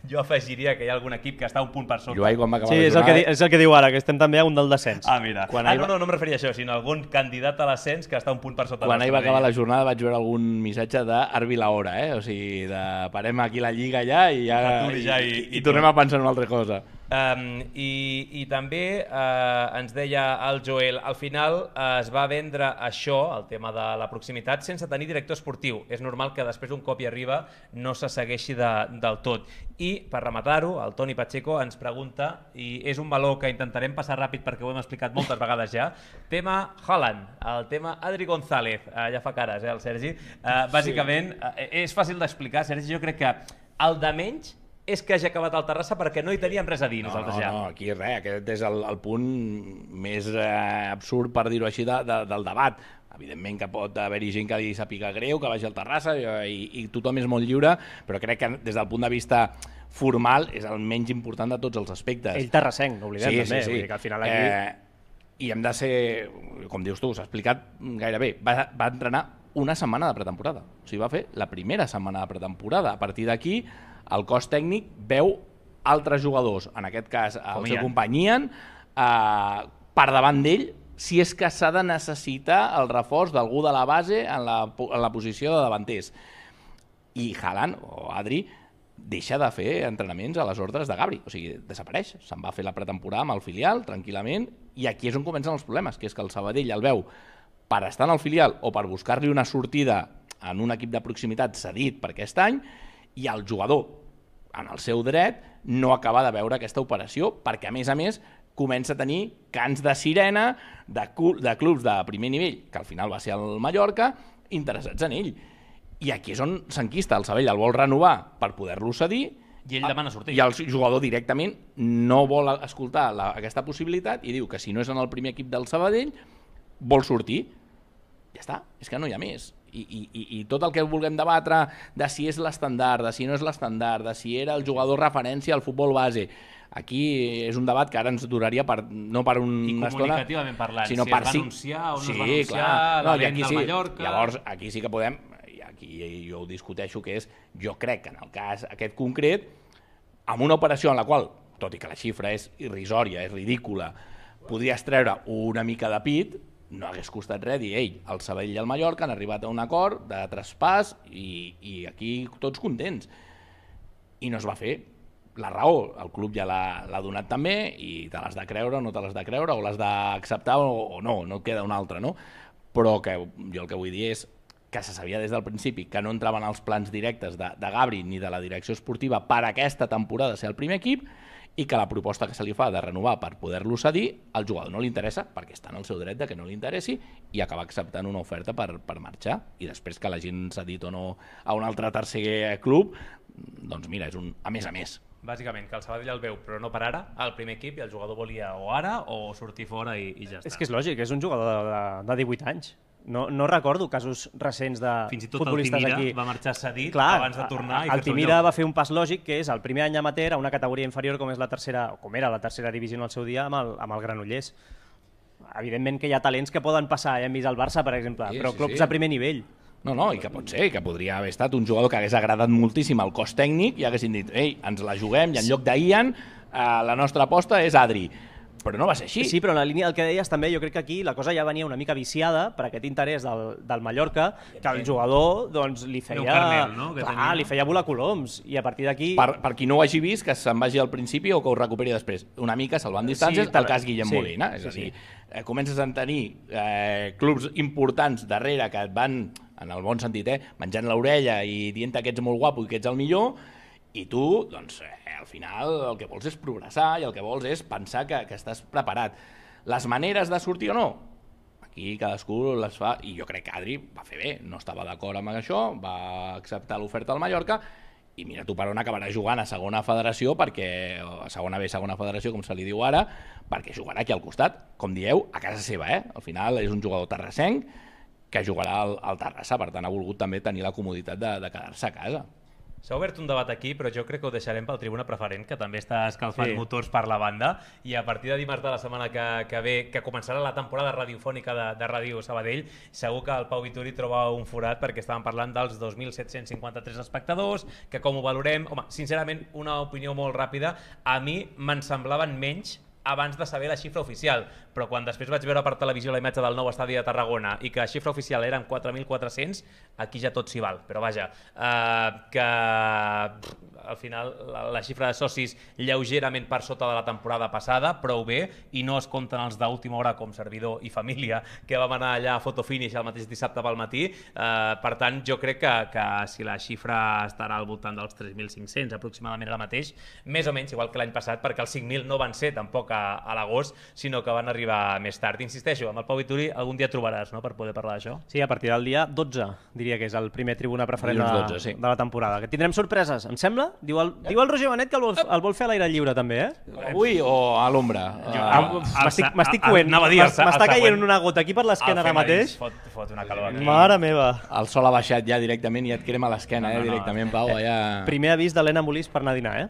jo afegiria que hi ha algun equip que està a un punt per sota. Joai, quan va acabar Sí, la és el, que, di- jornada... és el que diu ara, que estem també a un del descens. Ah, mira. Quan ah, ahir no, va- no, no em referia a això, sinó a algun candidat a l'ascens que està a un punt per sota. Quan ahir va nostre, acabar la deia. jornada vaig veure algun missatge d'Arbi la hora, eh? O sigui, de parem aquí la lliga ja i ja, Aturi ja i- i, i i tornem a pensar en una altra cosa. Um, i, I també uh, ens deia el Joel, al final uh, es va vendre això, el tema de la proximitat, sense tenir director esportiu. És normal que després d'un cop hi arriba no se segueixi de, del tot. I per rematar-ho, el Toni Pacheco ens pregunta, i és un valor que intentarem passar ràpid perquè ho hem explicat moltes vegades ja, tema Haaland, el tema Adri González, uh, ja fa cares, eh, el Sergi. Uh, bàsicament, uh, és fàcil d'explicar, Sergi, jo crec que el de menys és que hagi acabat el Terrassa perquè no hi teníem res a dir No, nosaltres no, ja. no, aquí res, aquest és el, el punt més eh, absurd, per dir-ho així, de, de, del debat. Evidentment que pot haver-hi gent que li sàpiga greu, que vagi al Terrassa i, i tothom és molt lliure, però crec que des del punt de vista formal és el menys important de tots els aspectes. Ell terrassenc, no oblidem, Sí, també. sí, sí. Vull dir que al final aquí... Eh, I hem de ser, com dius tu, s'ha explicat gairebé, va, va entrenar una setmana de pretemporada. O sigui, va fer la primera setmana de pretemporada. A partir d'aquí, el cos tècnic veu altres jugadors, en aquest cas el Com seu Ian. company Ian, eh, per davant d'ell, si és que s'ha de necessitar el reforç d'algú de la base en la, en la posició de davanters. I Haaland, o Adri, deixa de fer entrenaments a les ordres de Gabri, o sigui, desapareix, se'n va fer la pretemporada amb el filial, tranquil·lament, i aquí és on comencen els problemes, que és que el Sabadell el veu per estar en el filial o per buscar-li una sortida en un equip de proximitat cedit per aquest any, i el jugador, en el seu dret, no acaba de veure aquesta operació, perquè a més a més comença a tenir cants de sirena de, cul de clubs de primer nivell, que al final va ser el Mallorca, interessats en ell. I aquí és on s'enquista, el Sabadell el vol renovar per poder-lo cedir, I ell demana sortir. i el jugador directament no vol escoltar la, aquesta possibilitat i diu que si no és en el primer equip del Sabadell vol sortir. Ja està, és que no hi ha més. I, i, i tot el que vulguem debatre de si és l'estandard, de si no és l'estandard, de si era el jugador referència al futbol base, aquí és un debat que ara ens duraria per, no per un, I una estona, comunicativament parlant, sinó si per es va cinc- anunciar o no es sí, va anunciar clar. la No, i venda aquí al sí. Mallorca. Llavors, aquí sí que podem, i aquí jo ho discuteixo, que és, jo crec que en el cas aquest concret, amb una operació en la qual, tot i que la xifra és irrisòria, és ridícula, podries treure una mica de pit, no hagués costat res dir, ei, el Sabadell i el Mallorca han arribat a un acord de traspàs i, i aquí tots contents. I no es va fer. La raó, el club ja l'ha donat també i te l'has de creure o no te l'has de creure, o l'has d'acceptar o, o no, no et queda una altra, no? Però que jo el que vull dir és que se sabia des del principi que no entraven als plans directes de, de Gabri ni de la direcció esportiva per aquesta temporada ser el primer equip, i que la proposta que se li fa de renovar per poder-lo cedir, al jugador no li interessa, perquè està en el seu dret de que no li interessi, i acaba acceptant una oferta per, per marxar. I després que l'hagin cedit o no a un altre tercer club, doncs mira, és un a més a més. Bàsicament, que el Sabadell el veu, però no per ara, al primer equip, i el jugador volia o ara o sortir fora i, i ja està. És que és lògic, és un jugador de, de, de divuit anys. No, no recordo casos recents de Fins i tot futbolistes el aquí. Timira va marxar cedit Clar, abans de tornar i el fer-se un Timira lloc. va fer un pas lògic, que és el primer any amateur a una categoria inferior com és la tercera, o com era la tercera divisió en el seu dia amb el, amb el Granollers. Evidentment que hi ha talents que poden passar, ja hem vist el Barça, per exemple, Sí, però sí, clubs sí. de primer nivell. No, no, i que pot ser, que podria haver estat un jugador que hagués agradat moltíssim al cos tècnic i haguessin dit, ei, ens la juguem, i en lloc d'Ian, eh, la nostra aposta és Adri. Però no va ser així. Sí, però en la línia del que deies també, jo crec que aquí la cosa ja venia una mica viciada per aquest interès del, del Mallorca, que el jugador doncs, li feia... un carmel, no? Que Clar, tenia. li feia volar coloms, i a partir d'aquí... Per, per qui no ho hagi vist, que se'n vagi al principi o que ho recuperi després. Una mica salvant distàncies, Sí, sí, el cas Guillem sí, Molina. És sí, a dir, sí. eh, comences a tenir eh, clubs importants darrere que et van, en el bon sentit, eh, menjant l'orella i dient que ets molt guapo i que ets el millor, i tu, doncs, eh, al final el que vols és progressar i el que vols és pensar que, que estàs preparat. Les maneres de sortir o no, aquí cadascú les fa, i jo crec que Adri va fer bé, no estava d'acord amb això, va acceptar l'oferta al Mallorca, i mira tu per on acabarà jugant a segona federació, perquè a segona B, segona federació, com se li diu ara, perquè jugarà aquí al costat, com dieu, a casa seva, eh? Al final és un jugador terrassenc que jugarà al, al Terrassa, per tant ha volgut també tenir la comoditat de, de quedar-se a casa. S'ha obert un debat aquí, però jo crec que ho deixarem pel Tribuna Preferent, que també està escalfant Sí. motors per la banda, i a partir de dimarts de la setmana que, que ve, que començarà la temporada radiofònica de, de Ràdio Sabadell, segur que el Pau Vituri troba un forat, perquè estàvem parlant dels dos mil set-cents cinquanta-tres espectadors, que com ho valorem... Home, sincerament, una opinió molt ràpida, a mi me'n semblaven menys abans de saber la xifra oficial, però quan després vaig veure per televisió la imatge del nou estadi de Tarragona i que la xifra oficial eren quatre mil quatre-cents, aquí ja tot s'hi val, però vaja, eh, que pff, al final la, la xifra de socis lleugerament per sota de la temporada passada, prou bé, i no es compten els d'última hora com servidor i família, que vam anar allà a fotofinish el mateix dissabte pel matí, eh, per tant jo crec que, que si la xifra estarà al voltant dels tres mil cinc-cents aproximadament ara mateix, més o menys igual que l'any passat, perquè els cinc mil no van ser tampoc a, a l'agost, sinó que van arribar més tard. Insisteixo, amb el Pau Vituri algun dia trobaràs, no?, per poder parlar d'això. Sí, a partir del dia dotze, diria que és el primer Tribuna Preferent de, Dilluns dotze, sí. de la temporada. Que tindrem sorpreses, em sembla? Diu el, diu el Roger Benet que el vol, el vol fer a l'aire lliure, també, eh? Avui o a l'ombra? Ah, M'estic el- m'estic el- coent. anava a dir, el se- el M'està següent. caient una gota aquí per l'esquena ara mateix. Fot, fot una calor aquí. Mare meva. El sol ha baixat ja directament i et crema l'esquena, No, no, eh, no. directament, Pau. Allà... Primer avís d'Helena Molís per anar a dinar, eh?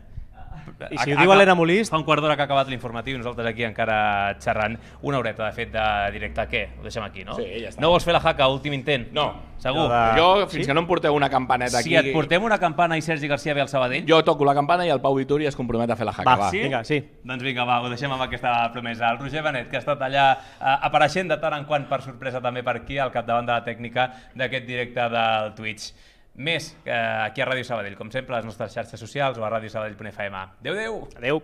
I si ho A- diu a- Helena Molís... Fa un quart d'hora que ha acabat l'informatiu i nosaltres aquí encara xerrant una horeta, de fet, de directe. Què? Ho deixem aquí, no? Sí, ja està. No vols fer la jaca, últim intent? No. Segur? De- Jo, fins Sí? que no em porteu una campaneta Si aquí... et portem una campana i Sergi García ve al Sabadell... Jo toco la campana i el Pau Vituri es compromet a fer la jaca, Va, va. sí? Vinga, sí. Doncs vinga, va, ho deixem amb aquesta promesa. El Roger Benet, que ha estat allà eh, apareixent de tant en quant per sorpresa també per aquí, al capdavant de la tècnica d'aquest directe del Twitch. Més eh, aquí a Ràdio Sabadell, com sempre, a les nostres xarxes socials o a radiosabadell punt f m. Adéu, adéu! Adéu.